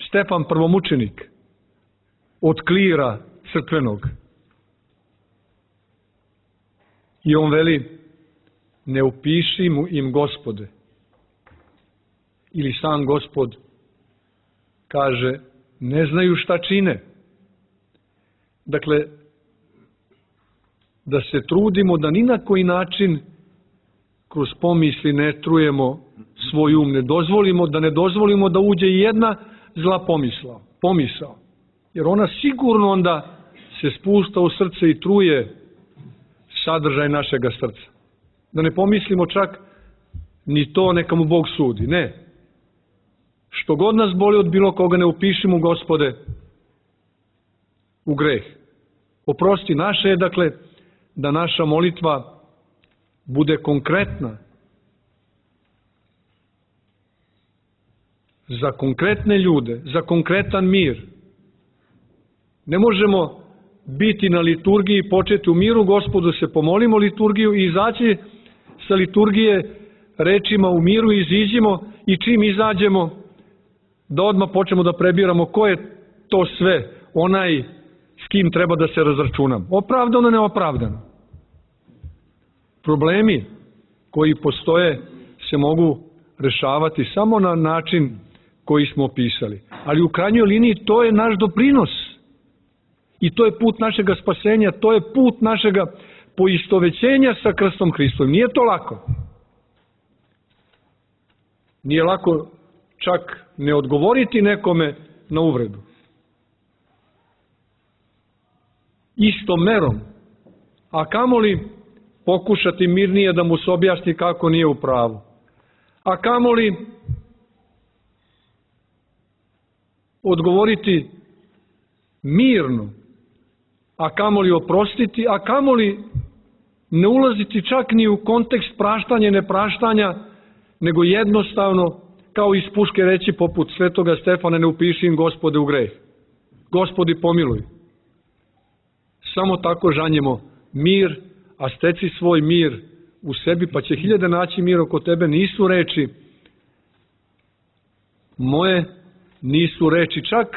Stefan Prvomučenik od klira crkvenog. I on veli, ne upiši im, Gospode. Ili sam Gospod kaže, ne znaju šta čine. Dakle, da se trudimo da ni na koji način kroz pomisli ne trujemo svoj um, ne dozvolimo da uđe jedna zla pomisao. Jer ona sigurno onda se spušta u srce i truje sadržaj našega srca. Da ne pomislimo čak ni to neka mu Bog sudi. Ne. Što god nas boli od bilo koga, ne upišimo, Gospode, u greh. Oprosti, naše je, dakle, da naša molitva bude konkretna, za konkretne ljude, za konkretan mir. Ne možemo biti na liturgiji, početi u miru, Gospodu se pomolimo liturgiju i izaći sa liturgije rečima u miru, iziđimo i čim izađemo da odmah počnemo da prebiramo ko je to sve, onaj s kim treba da se razračunam. Opravdano, neopravdano. Problemi koji postoje se mogu rešavati samo na način koji smo opisali. Ali u krajnjoj liniji to je naš doprinos. I to je put našega spasenja, to je put našega poistovećenja sa krstom Hristovim. Nije to lako. Nije lako čak ne odgovoriti nekome na uvredu. Istom merom. A kamoli pokušati mirnije da mu se objasni kako nije u pravu. A kamoli odgovoriti mirno, a kamoli oprostiti, a kamoli ne ulaziti čak ni u kontekst praštanja i nepraštanja, nego jednostavno, kao iz puške reći poput svetoga Stefana, ne upiši im, Gospode, u greh. Gospodi, pomiluj. Samo tako žanjemo mir, a steci svoj mir u sebi, pa će hiljade naći mir oko tebe. Nisu reči moje, nisu reči čak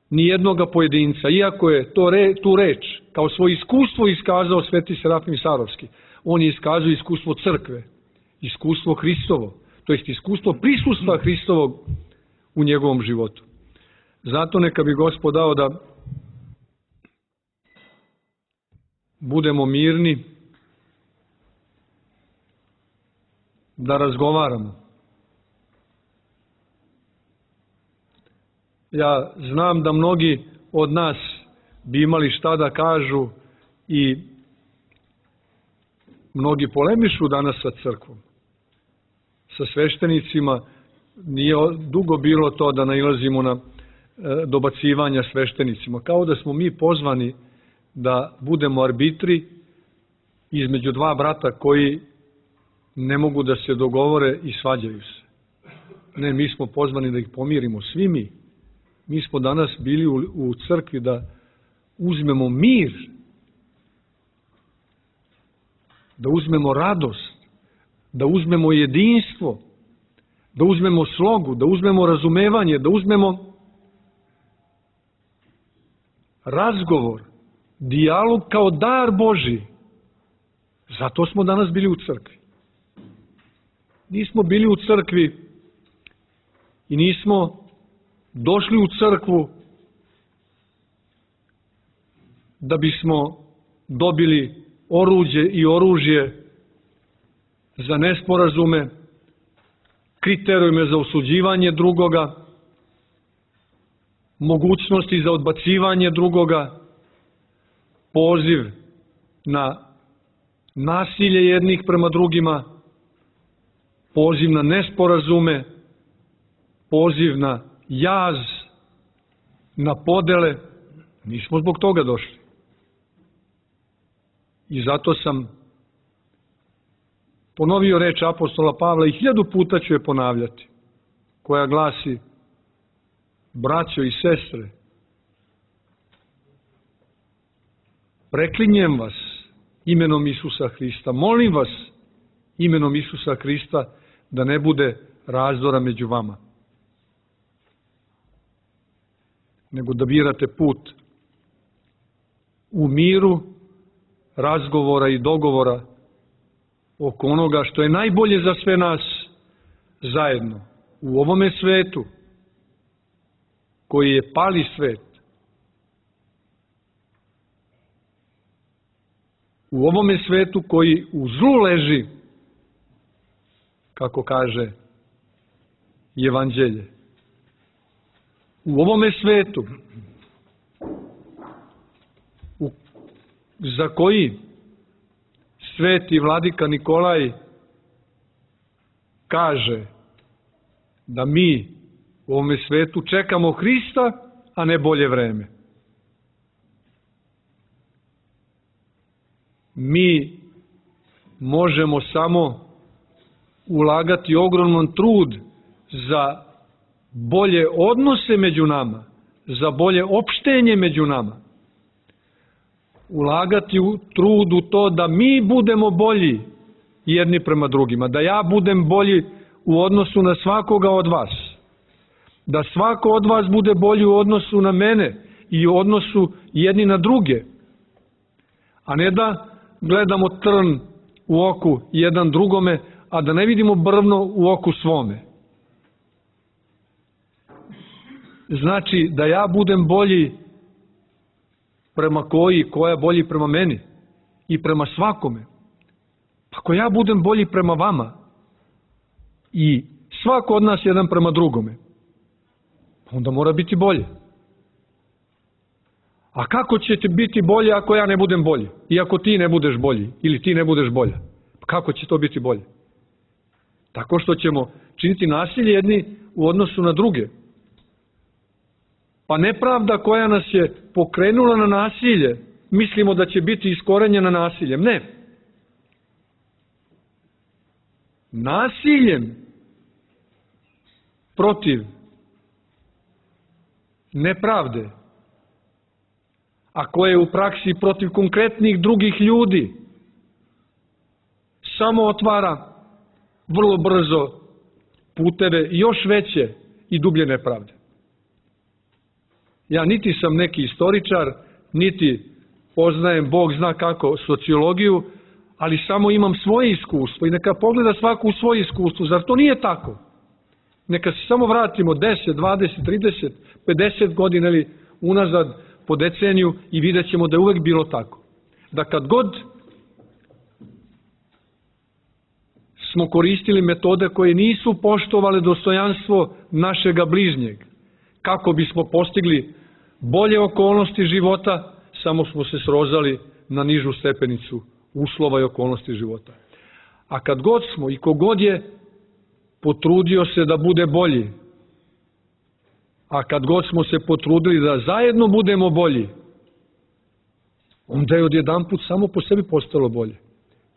ni jednoga pojedinca, iako je tu reč kao svoje iskustvo iskazao sveti Serafim Sarovski. On je iskazao iskustvo crkve, iskustvo Hristovo, to jest iskustvo prisustva Hristovog u njegovom životu. Zato neka bi Gospod dao da budemo mirni, da razgovaramo. Ja znam da mnogi od nas bi imali šta da kažu i mnogi polemišu danas sa crkvom, sa sveštenicima, nije dugo bilo to da nailazimo na dobacivanja sveštenicima. Kao da smo mi pozvani da budemo arbitri između dva brata koji ne mogu da se dogovore i svađaju se. Ne, mi smo pozvani da ih pomirimo, svi mi. Mi smo danas bili u crkvi da uzmemo mir, da uzmemo radost, da uzmemo jedinstvo, da uzmemo slogu, da uzmemo razumevanje, da uzmemo razgovor, dijalog kao dar Božji. Zato smo danas bili u crkvi. Nismo bili u crkvi i nismo došli u crkvu da bismo dobili oruđe i oružje za nesporazume, kriterijume za osuđivanje drugoga, mogućnosti za odbacivanje drugoga, poziv na nasilje jednih prema drugima, poziv na nesporazume, poziv na jaz, na podele. Nismo zbog toga došli. I zato sam ponovio reč apostola Pavla i 1000 puta ću je ponavljati, koja glasi: braćo i sestre, preklinjem vas imenom Isusa Hrista, molim vas imenom Isusa Hrista da ne bude razdora među vama, nego da birate put u miru, razgovora i dogovora oko onoga što je najbolje za sve nas zajedno u ovome svetu, koji je pali svet. U ovome svetu koji u zlu leži, kako kaže Evanđelje. U ovome svetu za koji sveti vladika Nikolaj kaže da mi u ovome svetu čekamo Hrista, a ne bolje vreme. Mi možemo samo ulagati ogroman trud za bolje odnose među nama, za bolje opštenje među nama. Ulagati trud u to da mi budemo bolji jedni prema drugima, da ja budem bolji u odnosu na svakoga od vas, da svako od vas bude bolji u odnosu na mene i u odnosu jedni na druge, a ne da gledamo trn u oku jedan drugome, a da ne vidimo brvno u oku svome. Znači da ja budem bolji prema koja bolji prema meni i prema svakome. Ako ja budem bolji prema vama i svako od nas jedan prema drugome, onda mora biti bolje. A kako ćete biti bolje ako ja ne budem bolji? I ako ti ne budeš bolji ili ti ne budeš bolja? Kako će to biti bolje? Tako što ćemo činiti nasilje jedni u odnosu na druge. Pa nepravda koja nas je pokrenula na nasilje, mislimo da će biti iskorenjena nasiljem. Ne. Nasiljem protiv nepravde, a koje je u praksi protiv konkretnih drugih ljudi, samo otvara vrlo brzo puteve još veće i dublje nepravde. Ja niti sam neki istoričar, niti poznajem Bog zna kako sociologiju, ali samo imam svoje iskustvo i neka pogleda svako u svoje iskustvo. Zar to nije tako? Neka se samo vratimo 10, 20, 30, 50 godina ili unazad po deceniju i vidjet ćemo da je uvek bilo tako. Da kad god smo koristili metode koje nisu poštovale dostojanstvo našega bližnjeg, kako bismo postigli bolje okolnosti života, samo smo se srozali na nižu stepenicu uslova i okolnosti života. A kad god smo i kogod je potrudio se da bude bolji. A kad god smo se potrudili da zajedno budemo bolji, onda je odjedanput samo po sebi postalo bolje.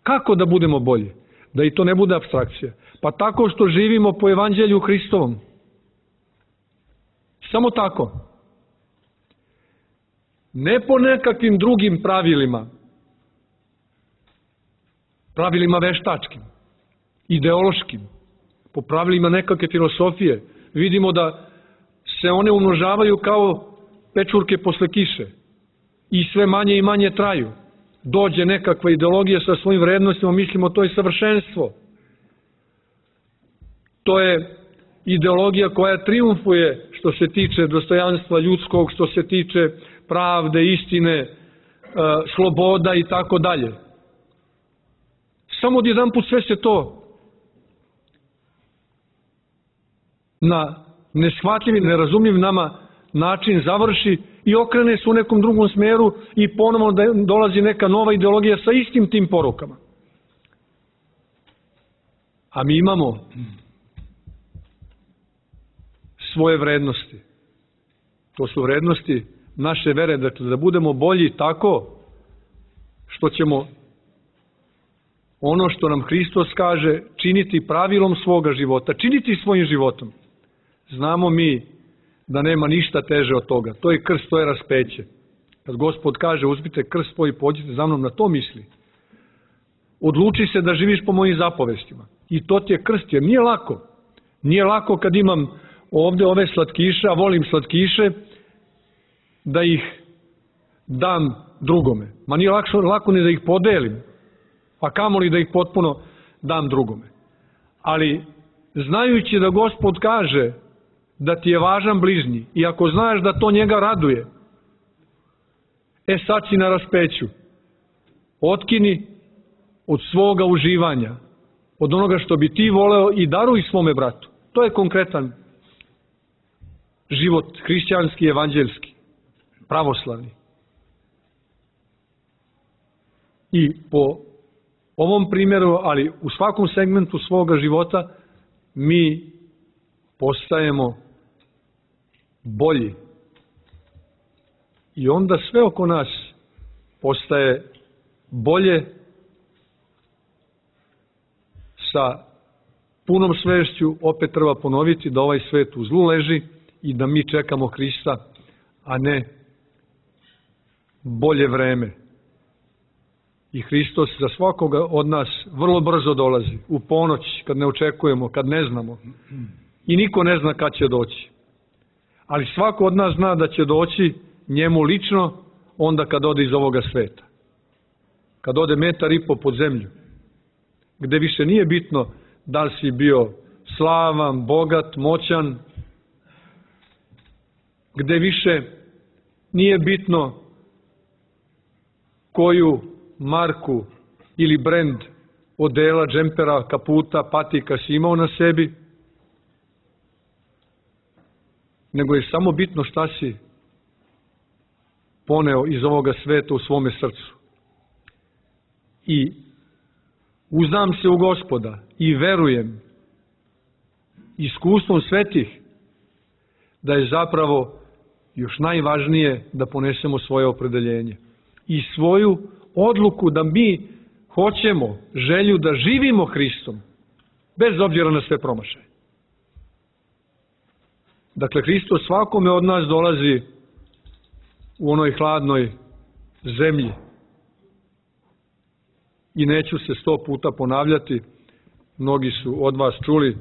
Kako da budemo bolji? Da i to ne bude apstrakcija. Pa tako što živimo po Evanđelju Hristovom. Samo tako. Ne po nekakvim drugim pravilima. Pravilima veštačkim, ideološkim, po pravilima nekakve filosofije. Vidimo da se one umnožavaju kao pečurke posle kiše i sve manje i manje traju. Dođe nekakva ideologija sa svojim vrednostima, mislimo to je savršenstvo. To je ideologija koja triumfuje što se tiče dostojanstva ljudskog, što se tiče pravde, istine, sloboda i tako dalje. Samo odjedanput sve se to na neshvatljiv i nerazumljiv nama način završi i okrene se u nekom drugom smeru i ponovno dolazi neka nova ideologija sa istim tim porukama. A mi imamo svoje vrednosti. To su vrednosti naše vere, dakle da budemo bolji tako što ćemo ono što nam Hristos kaže činiti pravilom svoga života, činiti svojim životom. Znamo mi da nema ništa teže od toga. To je krst, to je raspeće. Kad Gospod kaže uzmite krst svoj i pođite za mnom, na to misli. Odluči se da živiš po mojim zapovestima. I to ti je krst, jer nije lako. Nije lako kad imam ovde ove slatkiše, a volim slatkiše, da ih dam drugome. Ma nije lako ni da ih podelim, a kamoli da ih potpuno dam drugome. Ali znajući da Gospod kaže da ti je važan bližnji i ako znaš da to njega raduje, sad si na raspeću. Otkini od svoga uživanja, od onoga što bi ti voleo i daruj svome bratu. To je konkretan život hrišćanski, evanđelski, pravoslavni. I po ovom primjeru, ali u svakom segmentu svoga života, mi postajemo bolji. I onda sve oko nas postaje bolje, sa punom svešću. Opet treba ponoviti da ovaj svet u zlu leži i da mi čekamo Hrista, a ne bolje vreme. I Hristos za svakoga od nas vrlo brzo dolazi, u ponoć, kad ne očekujemo, kad ne znamo. I niko ne zna kad će doći. Ali svako od nas zna da će doći njemu lično onda kad ode iz ovoga sveta. Kad ode 1,5 metra pod zemlju. Gde više nije bitno da li si bio slavan, bogat, moćan. Gde više nije bitno koju marku ili brend odela, džempera, kaputa, patika si imao na sebi, nego je samo bitno šta si poneo iz ovoga sveta u svome srcu. I uzdam se u Gospoda i verujem iskustvom svetih da je zapravo još najvažnije da ponesemo svoje opredeljenje i svoju odluku da mi hoćemo želju da živimo Hristom, bez obzira na sve promašaje. Dakle, Hristos svakome od nas dolazi u onoj hladnoj zemlji. I neću se 100 puta ponavljati, mnogi su od vas čuli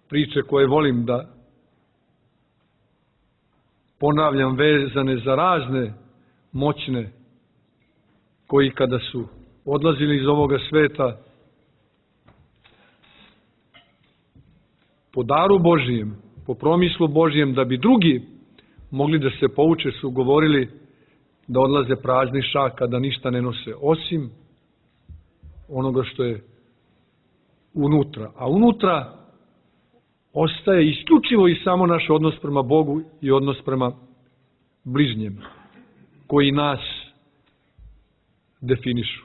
priče koje volim da ponavljam, vezane za razne moćne koji kada su odlazili iz ovoga sveta po daru Božijem, po promislu Božijem, da bi drugi mogli da se pouče, su govorili da odlaze prazni šaka, da ništa ne nose, osim onoga što je unutra. A unutra ostaje isključivo i samo naš odnos prema Bogu i odnos prema bližnjem, koji nas definišu.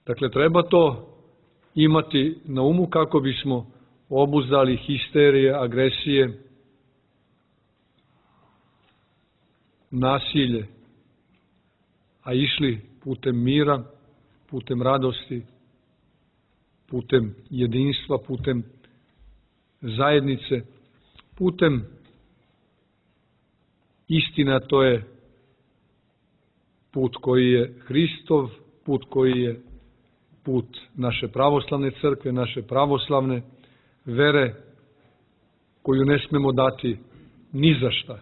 Dakle, treba to imati na umu kako bismo obuzdali histerije, agresije, nasilje, a išli putem mira, putem radosti, putem jedinstva, putem zajednice, putem istina, to je put koji je Hristov, put koji je put naše pravoslavne crkve, naše pravoslavne vere, koju ne smemo dati ni za šta,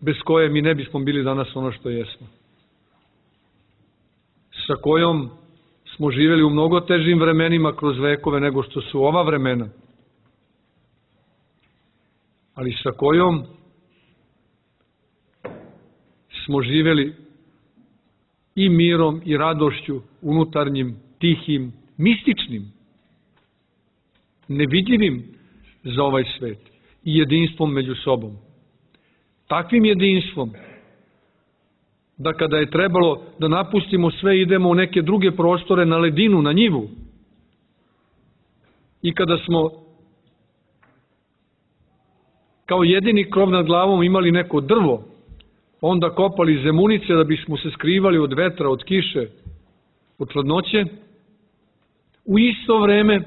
bez koje mi ne bismo bili danas ono što jesmo, sa kojom smo živjeli u mnogo težim vremenima kroz vekove nego što su ova vremena, ali sa kojom smo živjeli i mirom i radošću unutarnjim, tihim, mističnim, nevidljivim za ovaj svet i jedinstvom među sobom. Takvim jedinstvom da kada je trebalo da napustimo sve, idemo u neke druge prostore, na ledinu, na njivu. I kada smo kao jedini krov nad glavom imali neko drvo, onda kopali zemunice da bismo se skrivali od vetra, od kiše, od hladnoće, u isto vreme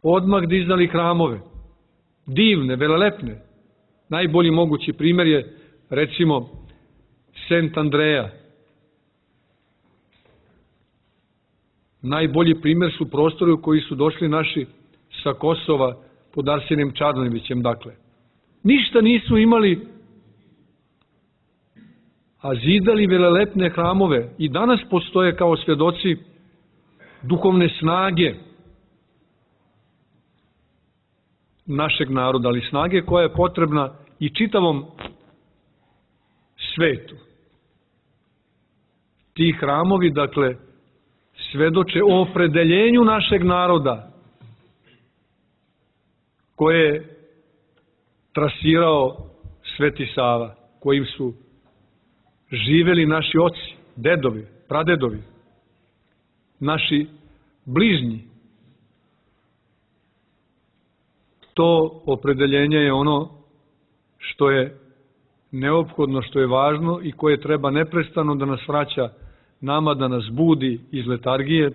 odmah dizali hramove, divne, velelepne. Najbolji mogući primjer je, recimo, Sent Andreja. Najbolji primjer su prostori u koji su došli naši sa Kosova pod Arsenijem Čarnojevićem, dakle. Ništa nisu imali, a zidali velelepne hramove i danas postoje kao svjedoci duhovne snage našeg naroda, ali snage koja je potrebna i čitavom svetu. Ti hramovi, dakle, svedoče o opredeljenju našeg naroda koje je trasirao Sveti Sava, kojim su živeli naši oci, dedovi, pradedovi, naši bližnji. To opredeljenje je ono što je neophodno, što je važno i koje treba neprestano da nas vraća nama, da nas budi iz letargije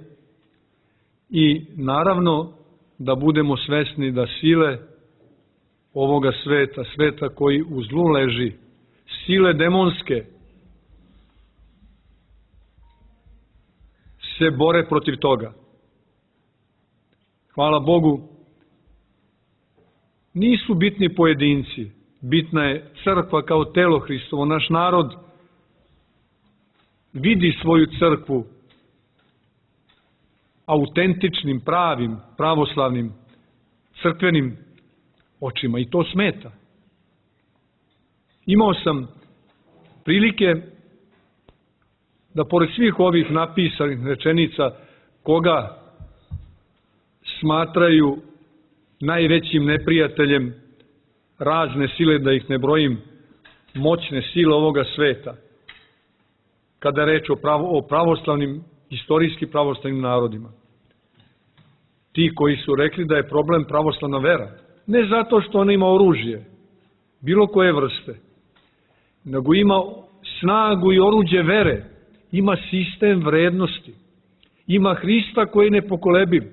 i naravno da budemo svesni da sile ovoga sveta, sveta koji u zlu leži, sile demonske, se bore protiv toga. Hvala Bogu, nisu bitni pojedinci, bitna je crkva kao telo Hristovo. Naš narod vidi svoju crkvu autentičnim, pravim, pravoslavnim, crkvenim očima i to smeta. Imao sam prilike da pored svih ovih napisanih rečenica koga smatraju najvećim neprijateljem razne sile, da ih ne brojim, moćne sile ovoga sveta, kada je reč o pravoslavnim, istorijski pravoslavnim narodima. Ti koji su rekli da je problem pravoslavna vera, ne zato što ona ima oružje, bilo koje vrste, nego ima snagu i oruđe vere, ima sistem vrednosti, ima Hrista koji je nepokolebiv,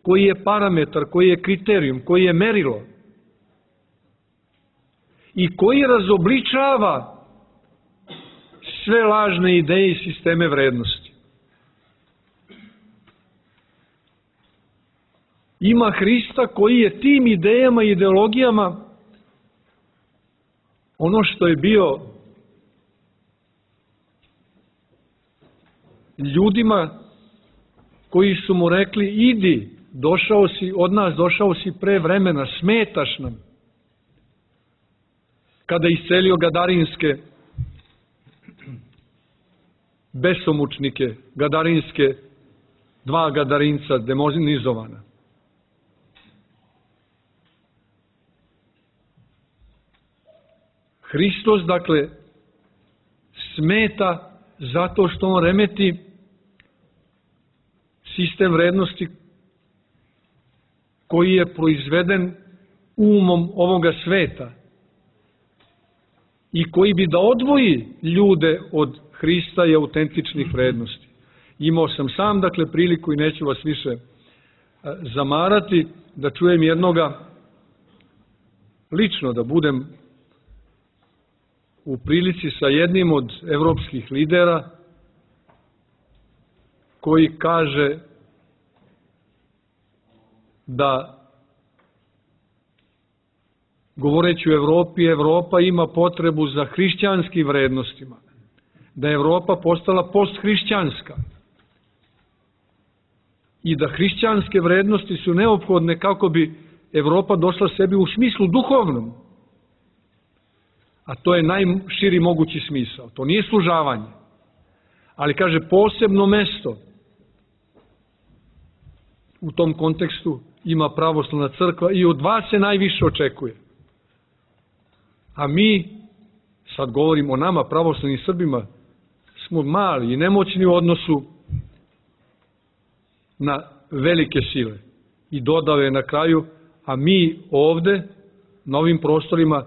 koji je parametar, koji je kriterijum, koji je merilo i koji razobličava sve lažne ideje i sisteme vrednosti. Ima Hrista koji je tim idejama i ideologijama ono što je bio ljudima koji su mu rekli idi, došao si od nas, došao si pre vremena, smetaš nam. Kada je iscelio gadarinske besomučnike, gadarinske, dva gadarinca demonizovana. Hristos, dakle, smeta zato što on remeti sistem vrednosti koji je proizveden umom ovoga sveta i koji bi da odvoji ljude od Hrista i autentičnih vrednosti. Imao sam sam, dakle, priliku i neću vas više zamarati, da čujem jednoga, lično da budem u prilici sa jednim od evropskih lidera koji kaže da, govoreći o Evropi, Evropa ima potrebu za hrišćanskim vrednostima, da je Evropa postala posthrišćanska i da hrišćanske vrednosti su neophodne kako bi Evropa došla sebi u smislu duhovnom. A to je najširi mogući smisao. To nije služavanje. Ali, kaže, posebno mesto u tom kontekstu ima pravoslavna crkva i od vas se najviše očekuje. A mi, sad govorim o nama, pravoslavnim Srbima, smo mali i nemoćni u odnosu na velike sile. I dodao je na kraju, a mi ovde, na ovim prostorima,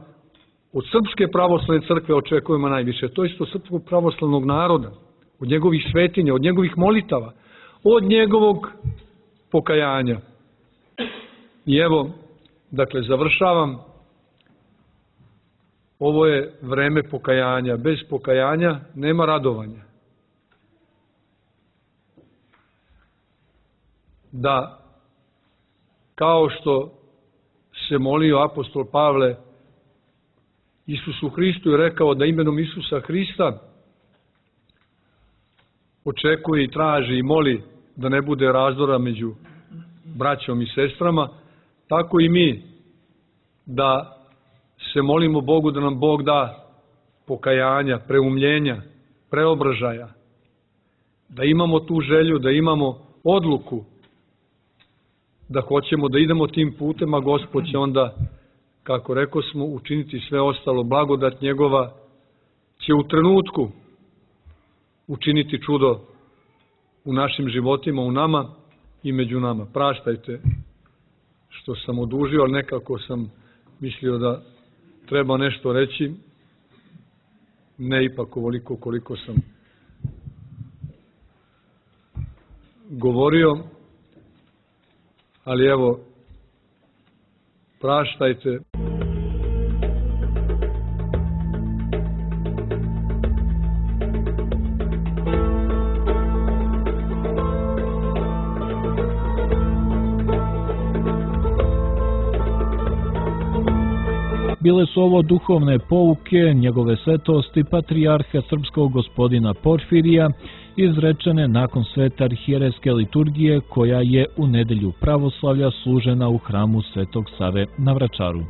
od Srpske pravoslavne crkve očekujemo najviše. To je isto srpskog pravoslavnog naroda, od njegovih svetinja, od njegovih molitava, od njegovog pokajanja. I evo, dakle, završavam. Ovo je vreme pokajanja. Bez pokajanja nema radovanja. Da, kao što se molio apostol Pavle Isusu Hristu i rekao da imenom Isusa Hrista očekuje i traži i moli da ne bude razdora među braćom i sestrama, tako i mi da se molimo Bogu da nam Bog da pokajanja, preumljenja, preobražaja, da imamo tu želju, da imamo odluku, da hoćemo da idemo tim putem, a Gospod će onda, kako rekao smo, učiniti sve ostalo. Blagodat njegova će u trenutku učiniti čudo u našim životima, u nama i među nama. Praštajte što sam odužio, ali nekako sam mislio da treba nešto reći, ne ipak ovoliko koliko sam govorio, ali evo, praštajte. Bile su ovo duhovne pouke njegove svetosti patrijarha srpskog gospodina Porfirija, izrečene nakon svete arhijerejske liturgije koja je u nedelju pravoslavlja služena u hramu Svetog Save na Vračaru.